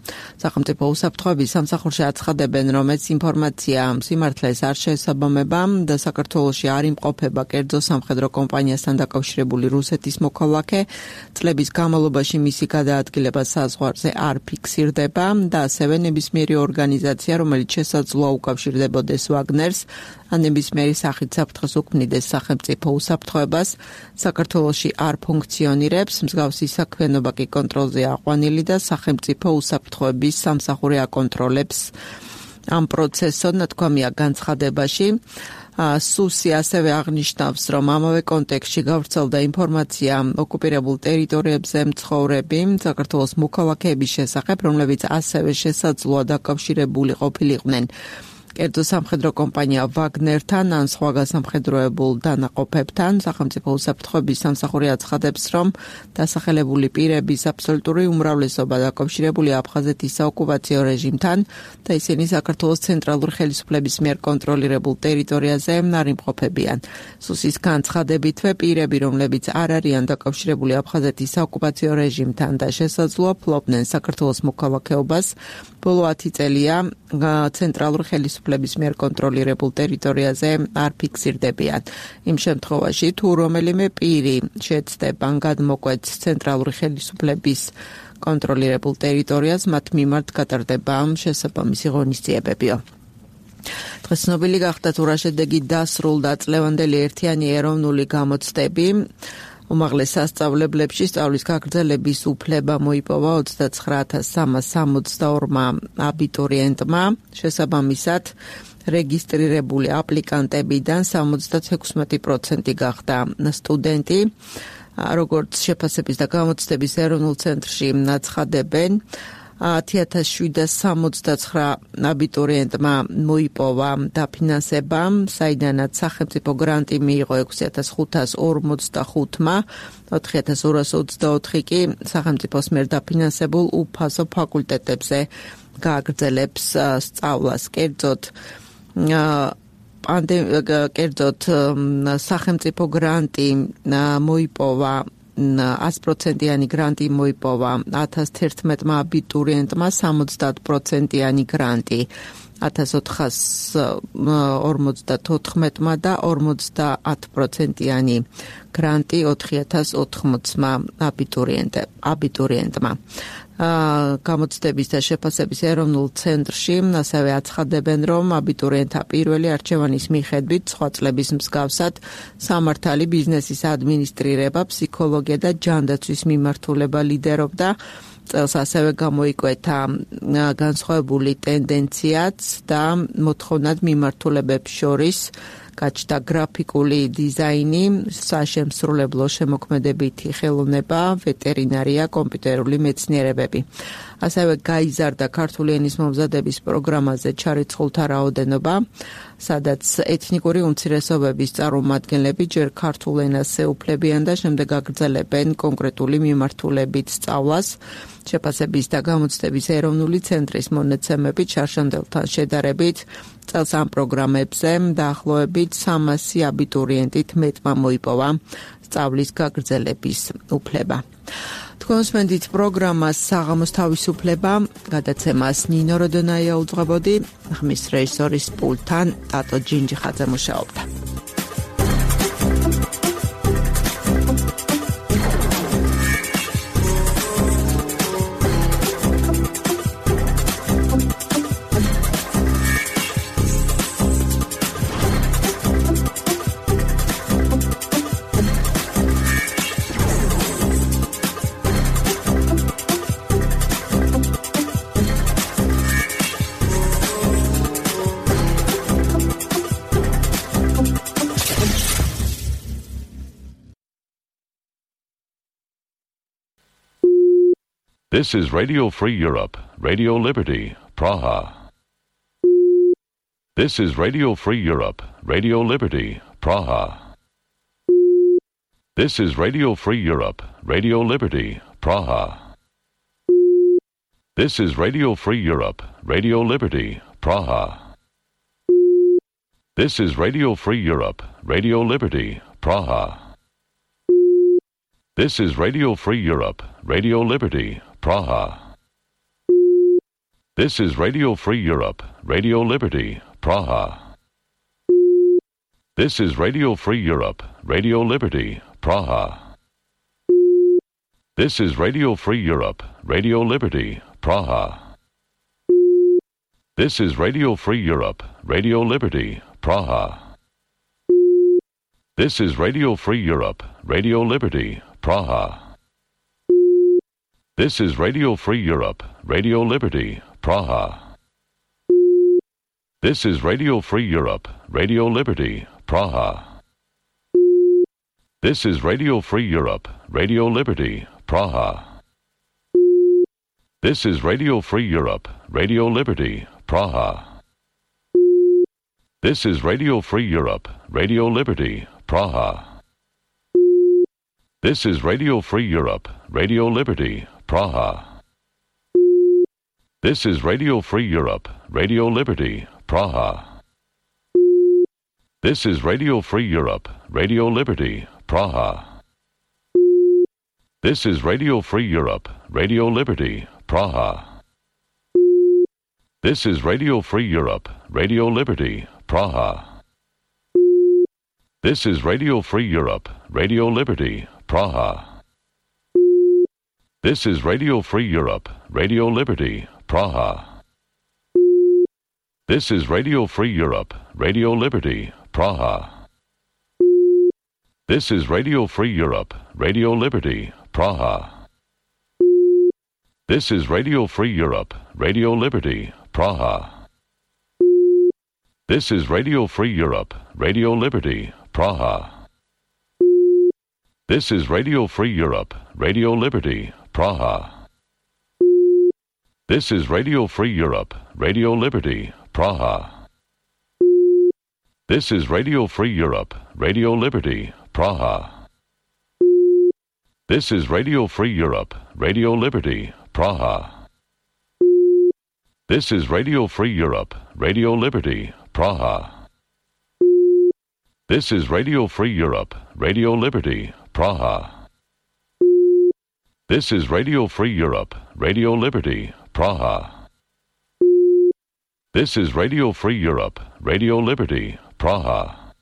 სახელმწიფო უსაფრთხოების სამსახურში აცხადებენ, რომ ეს ინფორმაცია სიმართლეს არ შეესაბამება და საქართველოში არ იმყოფება კერძო სამხედრო კომპანიასთან დაკავშირებული რუსეთის მოქალაქე. წლების განმავლობაში მისი გადაადგილება საზღვარზე არ ფიქსირდება და ასევე ნებისმიერი ორგანიზაცია, რომელიც შესაძლოა უკავშირდებოდეს ვაგნერს, ან ნებისმიერი სახით საფრთხეს უქმნიდეს სახელმწიფო უსაფრთხოებას, საქართველოში არ ფუნქციონირებს, მსგავსი საქმიანობა კი კონტროლზე აყვანილი და სახელმწიფო უსაფრთხოების სამსახური აკონტროლებს ამ პროცესს, ნათქვამია განცხადებაში. სუსი ასევე აღნიშნავს, რომ ამავე კონტექსტში გავრცელდა ინფორმაცია ოკუპირებულ ტერიტორიებზე მცხოვრები საქართველოს მოქალაქეების შესახებ, რომლებიც ასევე შესაძლოა დაკავშირებული ყოფილიყვნენ კერძო სამხედრო კომპანია ვაგნერთან ან სხვა გასამხედროებულ დანაყოფებთან. სახელმწიფო უსაფრთხოების სამსახური აცხადებს, რომ დასახელებული პირების აბსოლუტური უმრავლესობა დაკავშირებულია აფხაზეთის საოკუპაციო რეჟიმთან და ისინი საქართველოს ცენტრალური ხელისუფლების მიერ კონტროლირებულ ტერიტორიაზე არ იმყოფებიან. სუსის განცხადებითვე პირები, რომლებიც არ არიან დაკავშირებული აფხაზეთის საოკუპაციო რეჟიმთან და შესაძლოა ფლობდნენ საქართველოს მოქალაქეობას, ბოლო ათი წელია ცენტრალურ ხელისუფლების მიერ კონტროლირებულ ტერიტორიაზე არ ფიქსირდებიან. იმ შემთხვევაში, თუ რომელიმე პირი შეცდება გადმოკვეთს ცენტრალური ხელისუფლების კონტროლირებულ ტერიტორიას, მათ მიმართ გატარდება შესაბამისი ღონისძიებებიო. დღეს ცნობილი გახდა, თუ რა შედეგით დასრულდა წლევანდელი ერთიანი ეროვნული გამოცდები. უმაღლეს სასწავლებლებში სწავლის გაგრძელების უფლება მოიპოვა ოცდაცხრა ათას სამას სამოცდაორმა აბიტურიენტმა, შესაბამისად რეგისტრირებული აპლიკანტებიდან სამოცდათექვსმეტი პროცენტი გახდა სტუდენტი. როგორც შეფასების და გამოცდების ეროვნულ ცენტრში აცხადებენ, ათი ათას შვიდსათ სამოცდაცხრა აბიტურიენტმა მოიპოვა დაფინანსება, საიდანაც სახელმწიფო გრანტი მიიღო ექვსი ათას ხუთას ორმოცდახუთმა, ოთხი ათას ორას ოცდაოთხი კი სახელმწიფოს მიერ დაფინანსებულ უფასო ფაკულტეტებზე გააგრძელებს სწავლას. კერძოდ კერძოდ სახელმწიფო გრანტი მოიპოვა ათი პროცენტიანი გრანტი მოიპოვა ათას თერთმეტმა აბიტურიენტმა, სამოცდაათ პროცენტიანი გრანტი ათას ოთხას ორმოცდათოთხმეტმა და ორმოცდაათ პროცენტიანი გრანტი ოთხი ათას ოთხმოცმა აბიტურიენტმა. გამოცდების და შეფასების ეროვნულ ცენტრში ასევე აცხადებენ, რომ აბიტურიენტთა პირველი არჩევანის მიხედვით სხვა წლების მსგავსად სამართალი, ბიზნესის ადმინისტრირება, ფსიქოლოგია და ჯანდაცვის მიმართულება ლიდერობდა. წელს ასევე გამოიკვეთა განსხვავებული ტენდენციაც და მოთხოვნად მიმართულებებს შორის გაჩნდა გრაფიკული დიზაინი, საშემსრულებლო შემოქმედებითი ხელოვნება, ვეტერინარია, კომპიუტერული მეცნიერებები. ასევე გაიზარდა ქართული ენის მომზადების პროგრამაზე ჩარიცხულთა რაოდენობა, სადაც ეთნიკური უმცირესობების წარმომადგენლები ჯერ ქართულ ენას ეუფლებიან და შემდეგ აგრძელებენ კონკრეტული მიმართულებით სწავლას. შეფასების და გამოცდების ეროვნული ცენტრის მონაცემებით შარშანდელთან შედარებით წელს ამ პროგრამებზე დაახლოებით სამასი აბიტურიენტით მეტმა მოიპოვა სწავლის გაგრძელების უფლება. თქვენსმენდით პროგრამას საღამოს თავისუფლება, გადაცემას ნინო როდონაია უძღვებოდი, ხმის რეჟისორის პულტთან ტატო ჯინჯიხაძე მუშაობდა. This is Radio Free Europe, Radio Liberty, Praha. This is Radio Free Europe, Radio Liberty, Praha. This is Radio Free Europe, Radio Liberty, Praha. This is Radio Free Europe, Radio Liberty, Praha. This is Radio Free Europe, Radio Liberty, Praha. This is Radio Free Europe, Radio Liberty, Praha. This is Radio Free Europe, Radio Liberty, Praha. This is Radio Free Europe, Radio Liberty, Praha. This is Radio Free Europe, Radio Liberty, Praha. This is Radio Free Europe, Radio Liberty, Praha. This is Radio Free Europe, Radio Liberty, Praha. This is Radio Free Europe, Radio Liberty, Praha. This is Radio Free Europe, Radio Liberty, Praha. This is Radio Free Europe, Radio Liberty, Praha. This is Radio Free Europe, Radio Liberty, Praha. This is Radio Free Europe, Radio Liberty, Praha. This is Radio Free Europe, Radio Liberty, Praha. This is Radio Free Europe, Radio Liberty, Praha. This is Radio Free Europe, Radio Liberty, Praha. This is Radio Free Europe, Radio Liberty, Praha. This is Radio Free Europe, Radio Liberty, Praha. This is Radio Free Europe, Radio Liberty, Praha. This is Radio Free Europe, Radio Liberty, Praha. This is Radio Free Europe, Radio Liberty, Praha. This is Radio Free Europe, Radio Liberty, Praha. This is Radio Free Europe, Radio Liberty, Praha. This is Radio Free Europe, Radio Liberty, Praha. This is Radio Free Europe, Radio Liberty, Praha. This is Radio Free Europe, Radio Liberty, Praha. This is Radio Free Europe, Radio Liberty, Praha. This is Radio Free Europe, Radio Liberty, Praha. This is Radio Free Europe, Radio Liberty, Praha. This is Radio Free Europe, Radio Liberty, Praha. This is Radio Free Europe, Radio Liberty, Praha. This is Radio Free Europe, Radio Liberty, Praha. This is Radio Free Europe, Radio Liberty, Praha.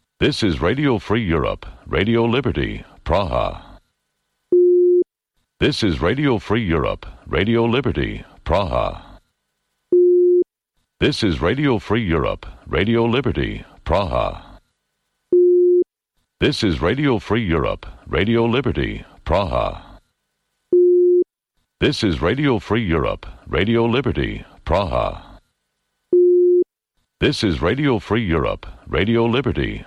This is Radio Free Europe, Radio Liberty, Praha. This is Radio Free Europe, Radio Liberty, Praha. This is Radio Free Europe, Radio Liberty, Praha. This is Radio Free Europe, Radio Liberty, Praha. This is Radio Free Europe, Radio Liberty,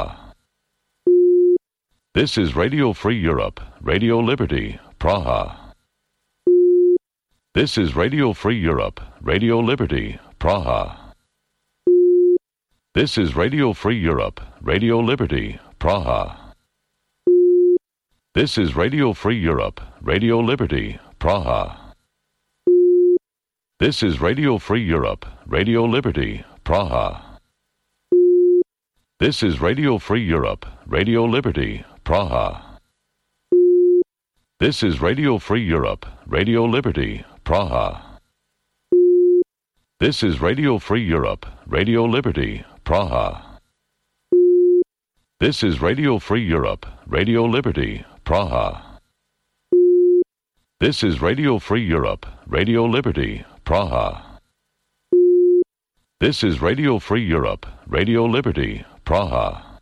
Praha. This is Radio Free Europe, Radio Liberty, Praha. This is Radio Free Europe, Radio Liberty, Praha. This is Radio Free Europe, Radio Liberty, Praha. This is Radio Free Europe, Radio Liberty, Praha. This is Radio Free Europe, Radio Liberty, Praha. This is Radio Free Europe, Radio Liberty, Praha. This is Radio Free Europe, Radio Liberty, Praha. This is Radio Free Europe, Radio Liberty, Praha. This is Radio Free Europe, Radio Liberty, Praha. This is Radio Free Europe, Radio Liberty, Praha. This is Radio Free Europe, Radio Liberty, Praha.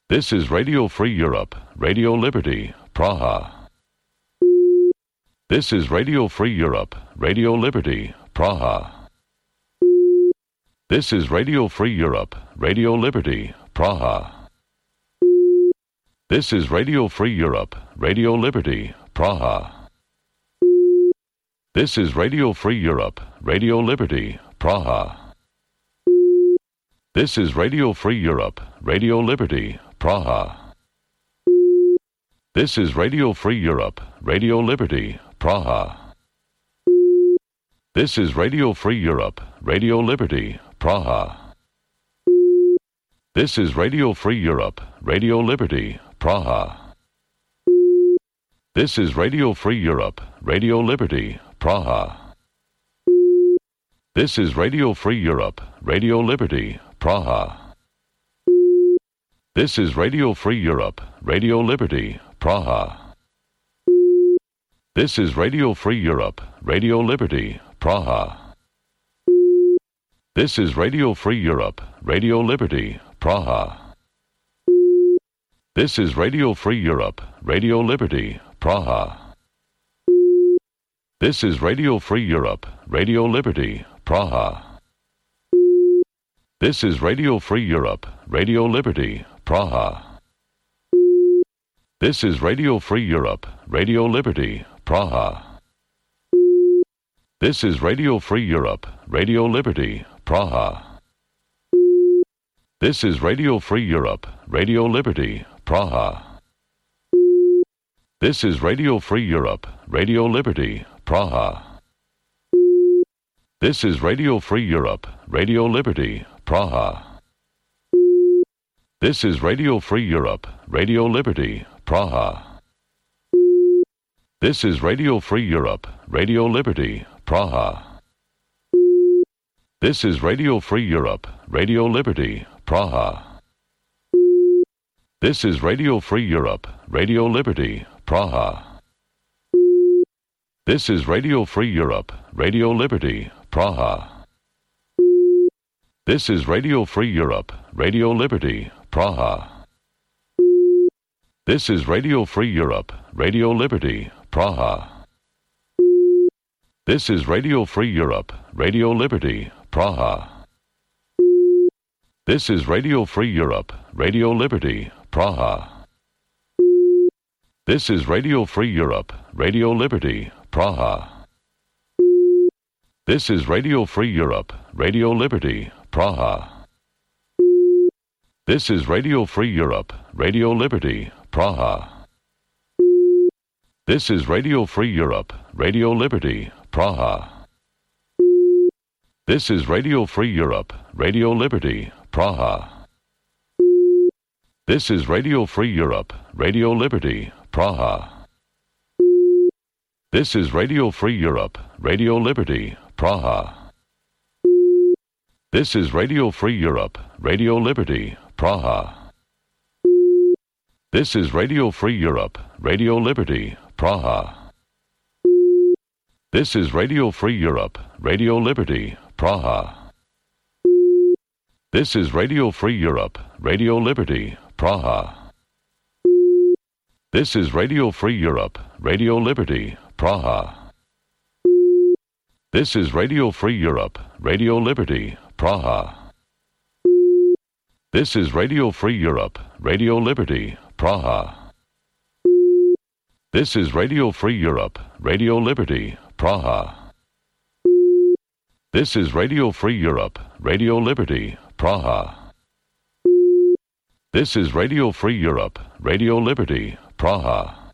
This is Radio Free Europe, Radio Liberty, Praha. This is Radio Free Europe, Radio Liberty, Praha. This is Radio Free Europe, Radio Liberty, Praha. This is Radio Free Europe, Radio Liberty, Praha. This is Radio Free Europe, Radio Liberty, Praha. This is Radio Free Europe, Radio Liberty, Praha. This is Radio Free Europe, Radio Liberty, Praha. This is Radio Free Europe, Radio Liberty, Praha. This is Radio Free Europe, Radio Liberty, Praha. This is Radio Free Europe, Radio Liberty, Praha. This is Radio Free Europe, Radio Liberty, Praha. This is Radio Free Europe, Radio Liberty, Praha. This is Radio Free Europe, Radio Liberty, Praha. This is Radio Free Europe, Radio Liberty, Praha. This is Radio Free Europe, Radio Liberty, Praha. This is Radio Free Europe, Radio Liberty, Praha. This is Radio Free Europe, Radio Liberty, Praha. This is Radio Free Europe, Radio Liberty, Praha. This is Radio Free Europe, Radio Liberty, Praha. This is Radio Free Europe, Radio Liberty, Praha. This is Radio Free Europe, Radio Liberty, Praha. This is Radio Free Europe, Radio Liberty, Praha. This is Radio Free Europe, Radio Liberty, Praha. This is Radio Free Europe, Radio Liberty, Praha. This is Radio Free Europe, Radio Liberty, Praha. This is Radio Free Europe, Radio Liberty, Praha. This is Radio Free Europe, Radio Liberty, Praha. This is Radio Free Europe, Radio Liberty, Praha. This is Radio Free Europe, Radio Liberty, Praha. This is Radio Free Europe, Radio Liberty, Praha. This is Radio Free Europe, Radio Liberty, Praha. This is Radio Free Europe, Radio Liberty, Praha. This is Radio Free Europe, Radio Liberty, Praha. This is Radio Free Europe, Radio Liberty, Praha. This is Radio Free Europe, Radio Liberty, Praha. This is Radio Free Europe, Radio Liberty, Praha. This is Radio Free Europe, Radio Liberty, Praha. This is Radio Free Europe, Radio Liberty, Praha. This is Radio Free Europe, Radio Liberty, Praha. This is Radio Free Europe, Radio Liberty, Praha. This is Radio Free Europe, Radio Liberty, Praha. This is Radio Free Europe, Radio Liberty, Praha. This is Radio Free Europe, Radio Liberty, Praha. This is Radio Free Europe, Radio Liberty, Praha. This is Radio Free Europe, Radio Liberty, Praha. This is Radio Free Europe, Radio Liberty, Praha. This is Radio Free Europe, Radio Liberty, Praha. This is Radio Free Europe, Radio Liberty, Praha.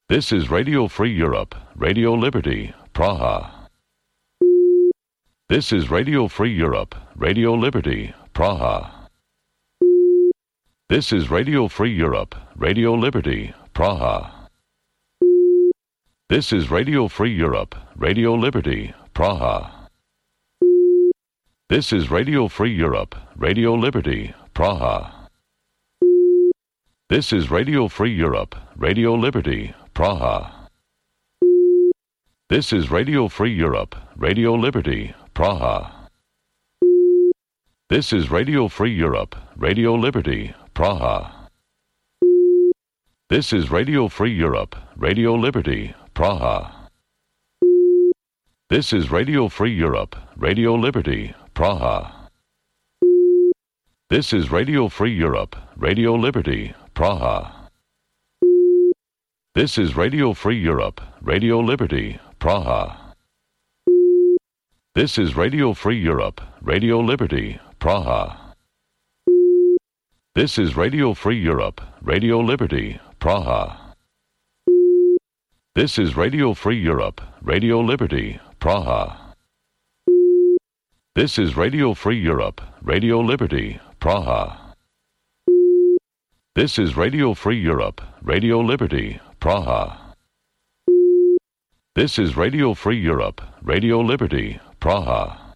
This is Radio Free Europe, Radio Liberty, Praha. This is Radio Free Europe, Radio Liberty, Praha. This is Radio Free Europe, Radio Liberty, Praha. This is Radio Free Europe, Radio Liberty, Praha. This is Radio Free Europe, Radio Liberty, Praha. This is Radio Free Europe, Radio Liberty, Praha. This is Radio Free Europe, Radio Liberty, Praha. This is Radio Free Europe, Radio Liberty, Praha. This is Radio Free Europe, Radio Liberty, Praha. This is Radio Free Europe, Radio Liberty, Praha. This is Radio Free Europe, Radio Liberty, Praha. This is Radio Free Europe, Radio Liberty, Praha. This is Radio Free Europe, Radio Liberty, Praha. This is Radio Free Europe, Radio Liberty, Praha. This is Radio Free Europe, Radio Liberty, Praha. This is Radio Free Europe, Radio Liberty, Praha. This is Radio Free Europe, Radio Liberty, Praha. This is Radio Free Europe, Radio Liberty, Praha.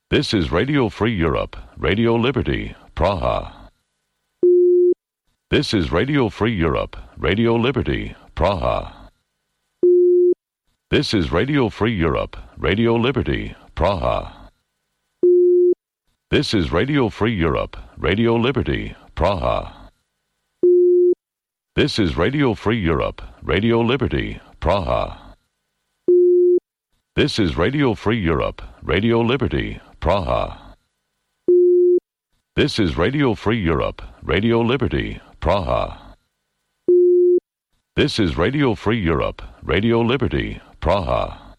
This is Radio Free Europe, Radio Liberty, Praha. This is Radio Free Europe, Radio Liberty, Praha. This is Radio Free Europe, Radio Liberty, Praha. This is Radio Free Europe, Radio Liberty, Praha. This is Radio Free Europe, Radio Liberty, Praha. This is Radio Free Europe, Radio Liberty, Praha. This is Radio Free Europe, Radio Liberty, Praha. This is Radio Free Europe, Radio Liberty, Praha.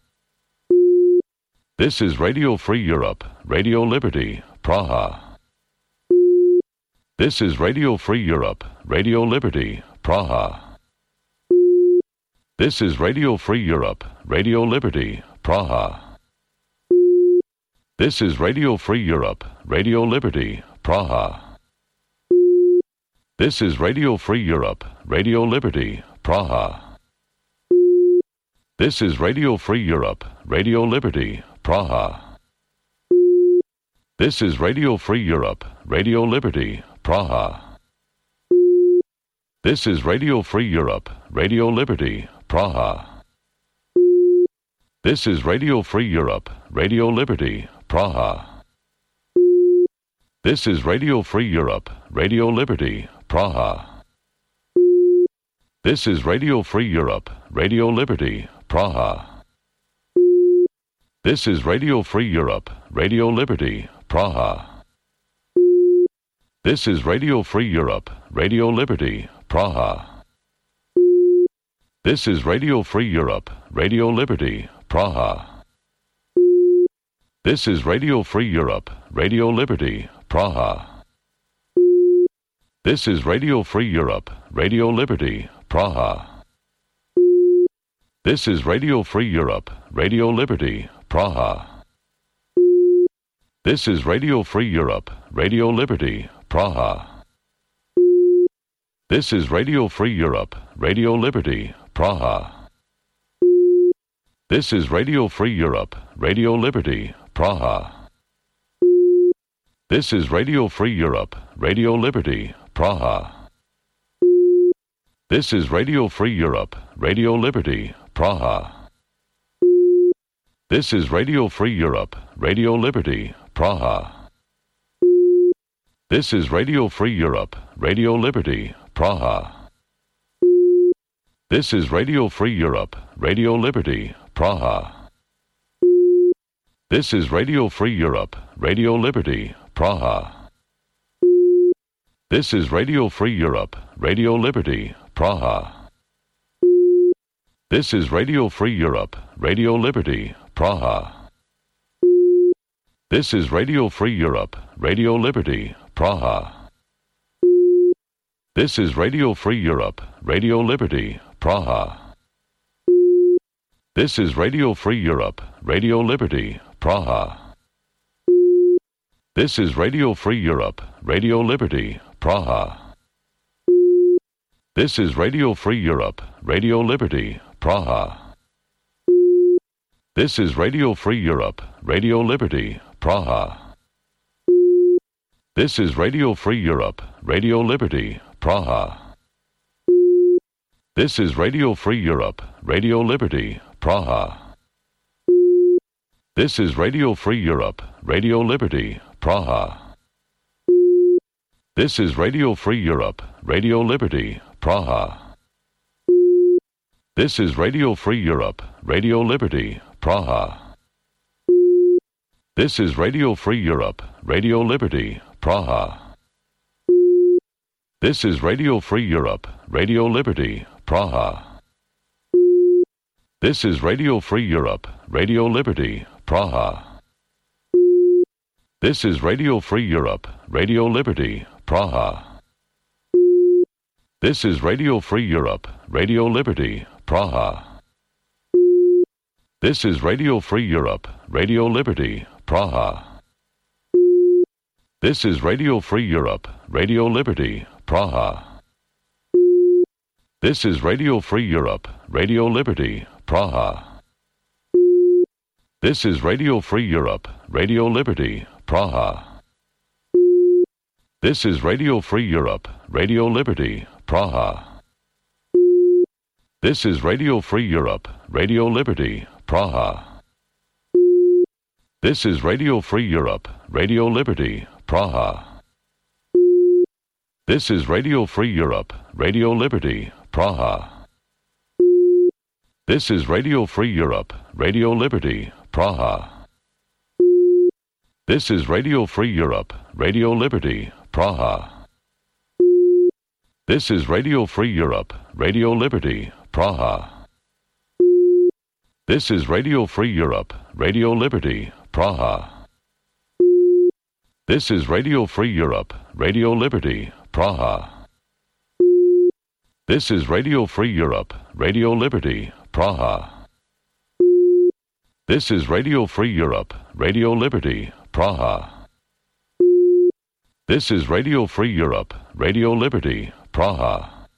This is Radio Free Europe, Radio Liberty, Praha. This is Radio Free Europe, Radio Liberty, Praha. This is Radio Free Europe, Radio Liberty, Praha. This is Radio Free Europe, Radio Liberty, Praha. This is Radio Free Europe, Radio Liberty, Praha. This is Radio Free Europe, Radio Liberty, Praha. This is Radio Free Europe, Radio Liberty, Praha. This is Radio Free Europe, Radio Liberty, Praha. This is Radio Free Europe, Radio Liberty, Praha. This is Radio Free Europe, Radio Liberty, Praha. This is Radio Free Europe, Radio Liberty, Praha. This is Radio Free Europe, Radio Liberty, Praha. This is Radio Free Europe, Radio Liberty, Praha. This is Radio Free Europe, Radio Liberty, Praha. This is Radio Free Europe, Radio Liberty, Praha. This is Radio Free Europe, Radio Liberty, Praha. This is Radio Free Europe, Radio Liberty, Praha. This is Radio Free Europe, Radio Liberty, Praha. This is Radio Free Europe, Radio Liberty, Praha. This is Radio Free Europe, Radio Liberty, Praha. This is Radio Free Europe, Radio Liberty, Praha. This is Radio Free Europe, Radio Liberty, Praha. This is Radio Free Europe, Radio Liberty, Praha. This is Radio Free Europe, Radio Liberty, Praha. This is Radio Free Europe, Radio Liberty, Praha. This is Radio Free Europe, Radio Liberty, Praha. This is Radio Free Europe, Radio Liberty, Praha. This is Radio Free Europe, Radio Liberty, Praha. This is Radio Free Europe, Radio Liberty, Praha. This is Radio Free Europe, Radio Liberty, Praha. This is Radio Free Europe, Radio Liberty, Praha. This is Radio Free Europe, Radio Liberty, Praha. This is Radio Free Europe, Radio Liberty, Praha. This is Radio Free Europe, Radio Liberty, Praha. This is Radio Free Europe, Radio Liberty, Praha. This is Radio Free Europe, Radio Liberty, Praha. This is Radio Free Europe, Radio Liberty, Praha. This is Radio Free Europe, Radio Liberty, Praha. This is Radio Free Europe, Radio Liberty, Praha. This is Radio Free Europe, Radio Liberty, Praha. This is Radio Free Europe, Radio Liberty, Praha. This is Radio Free Europe, Radio Liberty, Praha. This is Radio Free Europe, Radio Liberty, Praha. This is Radio Free Europe, Radio Liberty, Praha. This is Radio Free Europe, Radio Liberty, Praha. This is Radio Free Europe, Radio Liberty, Praha. This is Radio Free Europe, Radio Liberty, Praha. This is Radio Free Europe, Radio Liberty, Praha. This is Radio Free Europe, Radio Liberty, Praha. This is Radio Free Europe, Radio Liberty, Praha. This is Radio Free Europe, Radio Liberty, Praha. This is Radio Free Europe, Radio Liberty, Praha. This is Radio Free Europe, Radio Liberty, Praha. This is Radio Free Europe, Radio Liberty, Praha. This is Radio Free Europe, Radio Liberty, Praha. This is Radio Free Europe, Radio Liberty, Praha. This is Radio Free Europe, Radio Liberty, Praha. This is Radio Free Europe, Radio Liberty, Praha. This is Radio Free Europe, Radio Liberty, Praha. This is Radio Free Europe, Radio Liberty, Praha.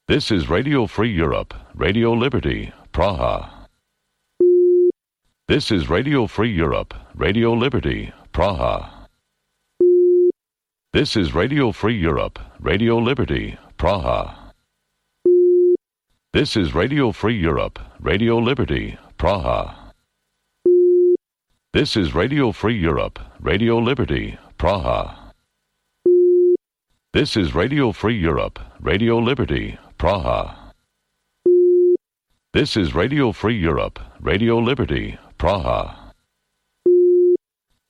This is Radio Free Europe, Radio Liberty, Praha. This is Radio Free Europe, Radio Liberty, Praha. This is Radio Free Europe, Radio Liberty, Praha. This is Radio Free Europe, Radio Liberty, Praha. This is Radio Free Europe, Radio Liberty, Praha. This is Radio Free Europe, Radio Liberty, Praha. This is Radio Free Europe, Radio Liberty, Praha.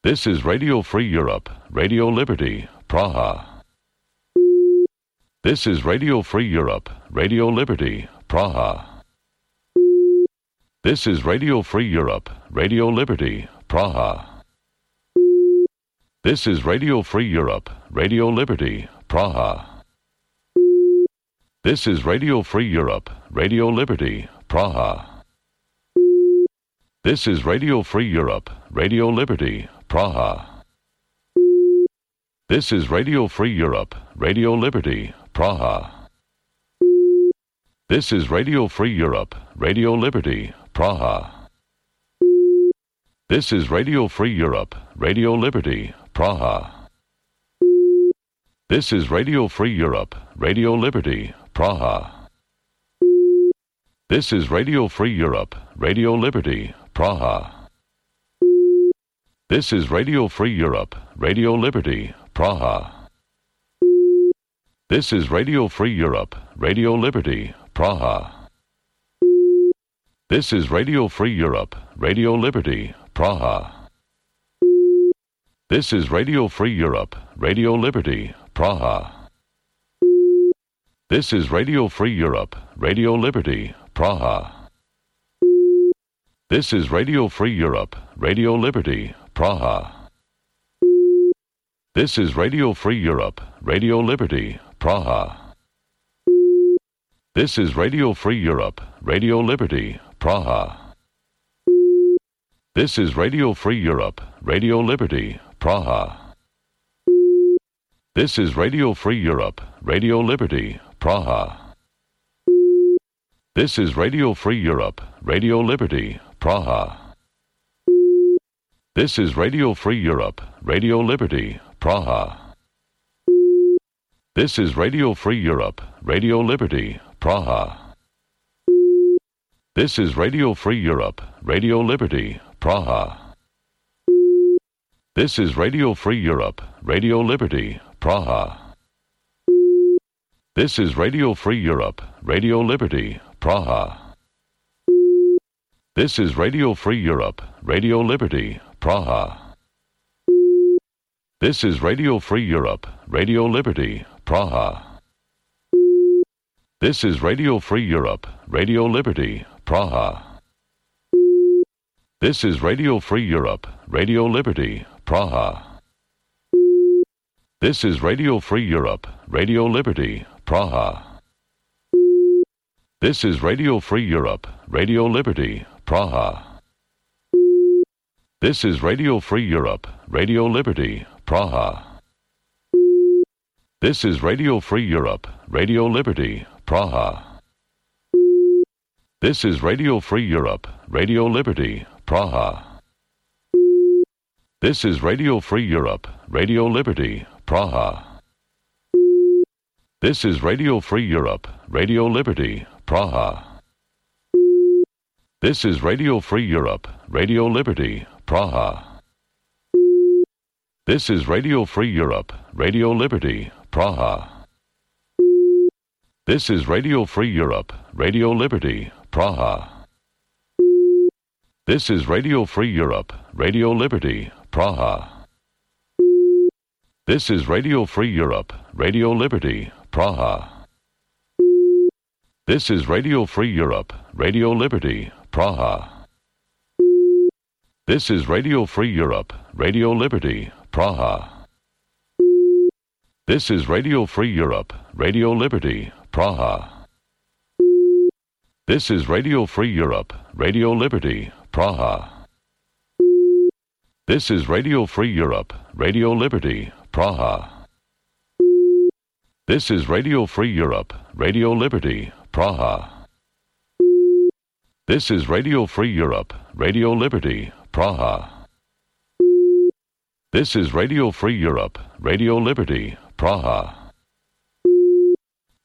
This is Radio Free Europe, Radio Liberty, Praha. This is Radio Free Europe, Radio Liberty, Praha. This is Radio Free Europe, Radio Liberty, Praha. This is Radio Free Europe, Radio Liberty, Praha. This is Radio Free Europe, Radio Liberty, Praha. This is Radio Free Europe, Radio Liberty, Praha. This is Radio Free Europe, Radio Liberty, Praha. This is Radio Free Europe, Radio Liberty, Praha. This is Radio Free Europe, Radio Liberty, Praha. This is Radio Free Europe, Radio Liberty, Praha. This is Radio Free Europe, Radio Liberty, Praha. This is Radio Free Europe, Radio Liberty, Praha. This is Radio Free Europe, Radio Liberty, Praha. This is Radio Free Europe, Radio Liberty, Praha. This is Radio Free Europe, Radio Liberty, Praha. This is Radio Free Europe, Radio Liberty, Praha. This is Radio Free Europe, Radio Liberty, Praha. This is Radio Free Europe, Radio Liberty, Praha. This is Radio Free Europe, Radio Liberty, Praha. This is Radio Free Europe, Radio Liberty, Praha. This is Radio Free Europe, Radio Liberty, Praha. This is Radio Free Europe, Radio Liberty, Praha. This is Radio Free Europe, Radio Liberty, Praha. This is Radio Free Europe, Radio Liberty, Praha. This is Radio Free Europe, Radio Liberty, Praha. This is Radio Free Europe, Radio Liberty, Praha. This is Radio Free Europe, Radio Liberty, Praha. This is Radio Free Europe, Radio Liberty, Praha. This is Radio Free Europe, Radio Liberty, Praha. This is Radio Free Europe, Radio Liberty, Praha. This is Radio Free Europe, Radio Liberty, Praha. This is Radio Free Europe, Radio Liberty, Praha. This is Radio Free Europe, Radio Liberty, Praha. This is Radio Free Europe, Radio Liberty, Praha. This is Radio Free Europe, Radio Liberty, Praha. This is Radio Free Europe, Radio Liberty, Praha. This is Radio Free Europe, Radio Liberty, Praha. This is Radio Free Europe, Radio Liberty, Praha. This is Radio Free Europe, Radio Liberty, Praha. This is Radio Free Europe, Radio Liberty, Praha. This is Radio Free Europe, Radio Liberty, Praha. This is Radio Free Europe, Radio Liberty, Praha. This is Radio Free Europe, Radio Liberty, Praha. This is Radio Free Europe, Radio Liberty, Praha. This is Radio Free Europe, Radio Liberty, Praha. This is Radio Free Europe, Radio Liberty, Praha. This is Radio Free Europe, Radio Liberty, Praha. This is Radio Free Europe, Radio Liberty, Praha. This is Radio Free Europe, Radio Liberty, Praha. This is Radio Free Europe, Radio Liberty, Praha. This is Radio Free Europe, Radio Liberty, Praha.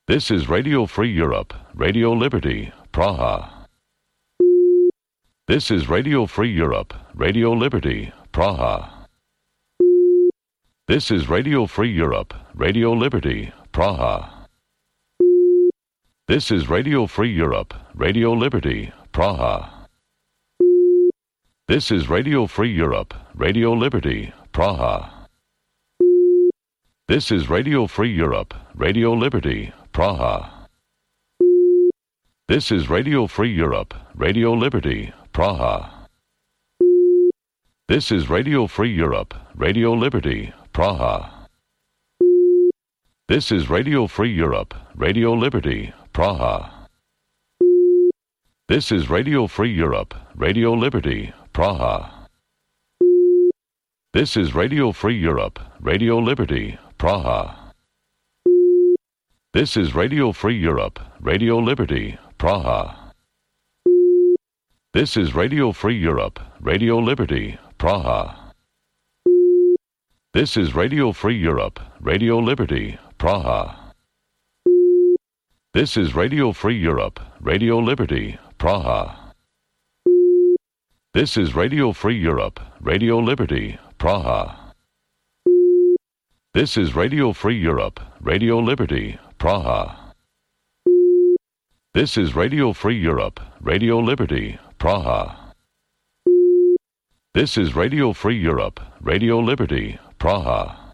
This is Radio Free Europe, Radio Liberty, Praha. This is Radio Free Europe, Radio Liberty, Praha. This is Radio Free Europe, Radio Liberty, Praha. This is Radio Free Europe, Radio Liberty, Praha. This is Radio Free Europe, Radio Liberty, Praha. This is Radio Free Europe, Radio Liberty, Praha. This is Radio Free Europe, Radio Liberty, Praha. This is Radio Free Europe, Radio Liberty, Praha. This is Radio Free Europe, Radio Liberty, Praha. This is Radio Free Europe, Radio Liberty, Praha. This is Radio Free Europe, Radio Liberty, Praha. This is Radio Free Europe, Radio Liberty, Praha. This is Radio Free Europe, Radio Liberty, Praha. This is Radio Free Europe, Radio Liberty, Praha. This is Radio Free Europe, Radio Liberty, Praha. This is Radio Free Europe, Radio Liberty, Praha. This is Radio Free Europe, Radio Liberty, Praha. This is Radio Free Europe, Radio Liberty, Praha. This is Radio Free Europe, Radio Liberty, Praha.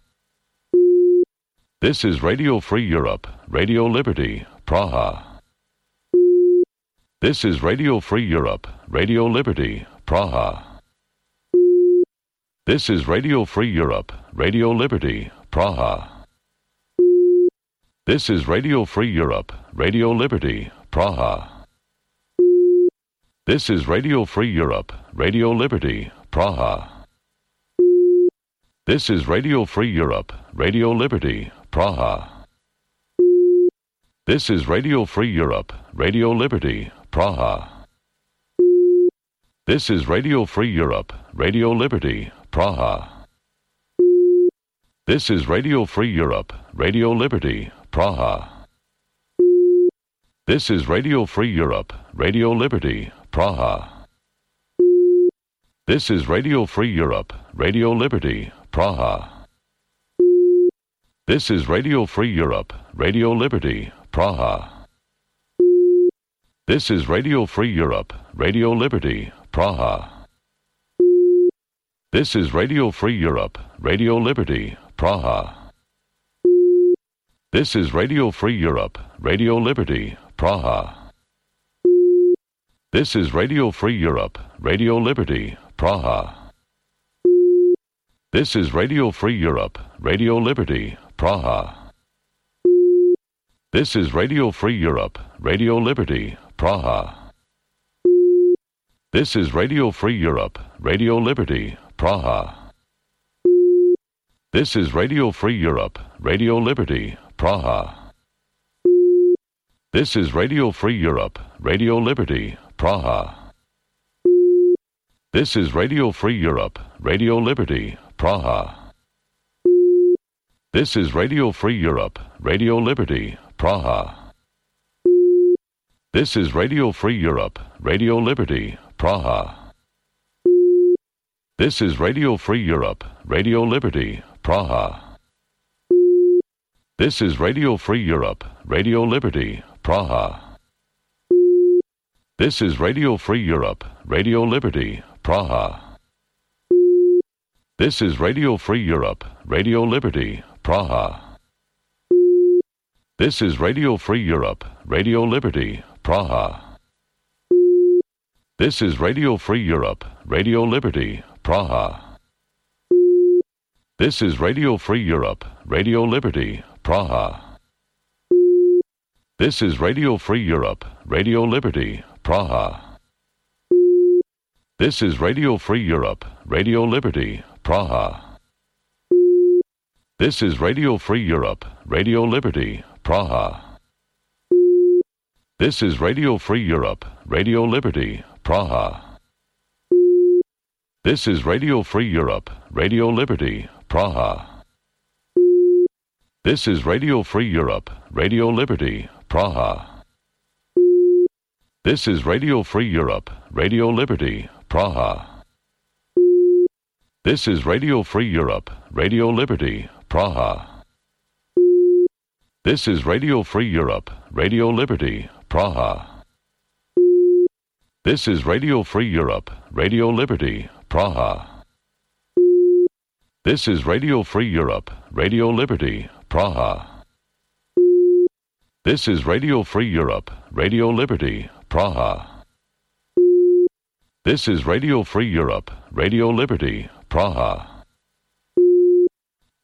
This is Radio Free Europe, Radio Liberty, Praha. This is Radio Free Europe, Radio Liberty, Praha. This is Radio Free Europe, Radio Liberty, Praha. This is Radio Free Europe, Radio Liberty, Praha. This is Radio Free Europe, Radio Liberty, Praha. This is Radio Free Europe, Radio Liberty, Praha. This is Radio Free Europe, Radio Liberty, Praha. This is Radio Free Europe, Radio Liberty, Praha. This is Radio Free Europe, Radio Liberty, Praha. This is Radio Free Europe, Radio Liberty, Praha. This is Radio Free Europe, Radio Liberty, Praha. This is Radio Free Europe, Radio Liberty, Praha. This is Radio Free Europe, Radio Liberty, Praha. This is Radio Free Europe, Radio Liberty, Praha. This is Radio Free Europe, Radio Liberty, Praha. This is Radio Free Europe, Radio Liberty, Praha. This is Radio Free Europe, Radio Liberty, Praha. This is Radio Free Europe, Radio Liberty, Praha. This is Radio Free Europe, Radio Liberty, Praha. This is Radio Free Europe, Radio Liberty, Praha. This is Radio Free Europe, Radio Liberty, Praha. This is Radio Free Europe, Radio Liberty, Praha. This is Radio Free Europe, Radio Liberty, Praha. This is Radio Free Europe, Radio Liberty, Praha. This is Radio Free Europe, Radio Liberty, Praha. This is Radio Free Europe, Radio Liberty, Praha. This is Radio Free Europe, Radio Liberty, Praha. This is Radio Free Europe, Radio Liberty, Praha. This is Radio Free Europe, Radio Liberty, Praha. This is Radio Free Europe, Radio Liberty, Praha. This is Radio Free Europe, Radio Liberty, Praha. This is Radio Free Europe, Radio Liberty, Praha. This is Radio Free Europe, Radio Liberty, Praha. This is Radio Free Europe, Radio Liberty, Praha. This is Radio Free Europe, Radio Liberty, Praha. This is Radio Free Europe, Radio Liberty, Praha. This is Radio Free Europe, Radio Liberty, Praha. This is Radio Free Europe, Radio Liberty, Praha. This is Radio Free Europe, Radio Liberty, Praha. This is Radio Free Europe, Radio Liberty, Praha. This is Radio Free Europe, Radio Liberty, Praha. This is Radio Free Europe, Radio Liberty, Praha. This is Radio Free Europe, Radio Liberty, Praha. This is Radio Free Europe, Radio Liberty, Praha.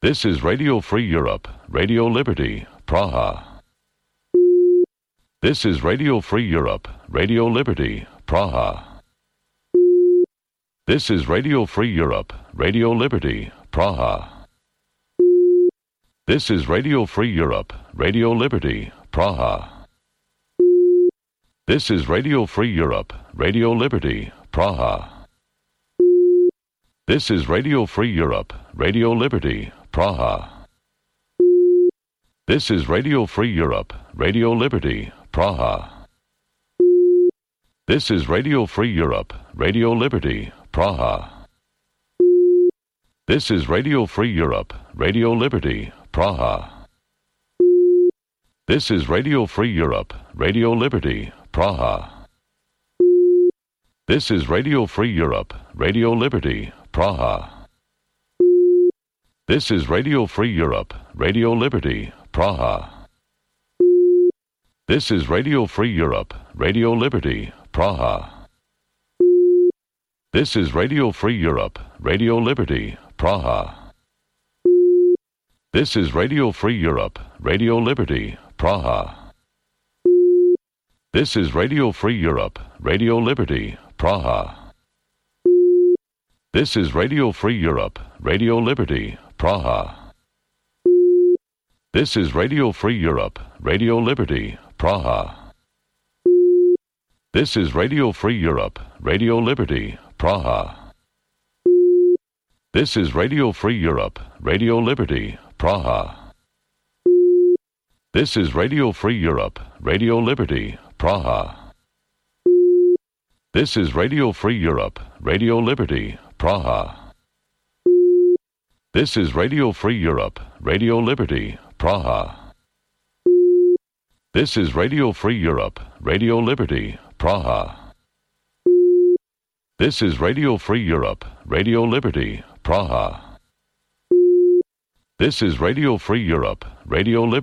This is Radio Free Europe, Radio Liberty, Praha. This is Radio Free Europe, Radio Liberty, Praha. This is Radio Free Europe, Radio Liberty, Praha. This is Radio Free Europe, Radio Liberty, Praha. This is Radio Free Europe, Radio Liberty, Praha. This is Radio Free Europe, Radio Liberty, Praha. This is Radio Free Europe, Radio Liberty, Praha. This is Radio Free Europe, Radio Liberty, Praha. This is Radio Free Europe, Radio Liberty, Praha. This is Radio Free Europe, Radio Liberty, Praha. This is Radio Free Europe, Radio Liberty, Praha. This is Radio Free Europe, Radio Liberty, Praha. This is Radio Free Europe, Radio Liberty, Praha. This is Radio Free Europe, Radio Liberty, Praha. This is Radio Free Europe, Radio Liberty, Praha. This is Radio Free Europe, Radio Liberty, Praha. This is Radio Free Europe, Radio Liberty, Praha. This is Radio Free Europe, Radio Liberty, Praha. This is Radio Free Europe, Radio Liberty, Praha. This is Radio Free Europe, Radio Liberty, Praha. This is Radio Free Europe, Radio Liberty, Praha. This is Radio Free Europe, Radio Liberty, Praha. This is Radio Free Europe, Radio Liberty, Praha. This is Radio Free Europe, Radio Liberty, Praha. This is Radio Free Europe, Radio Liberty, Praha. This is Radio Free Europe, Radio Liberty.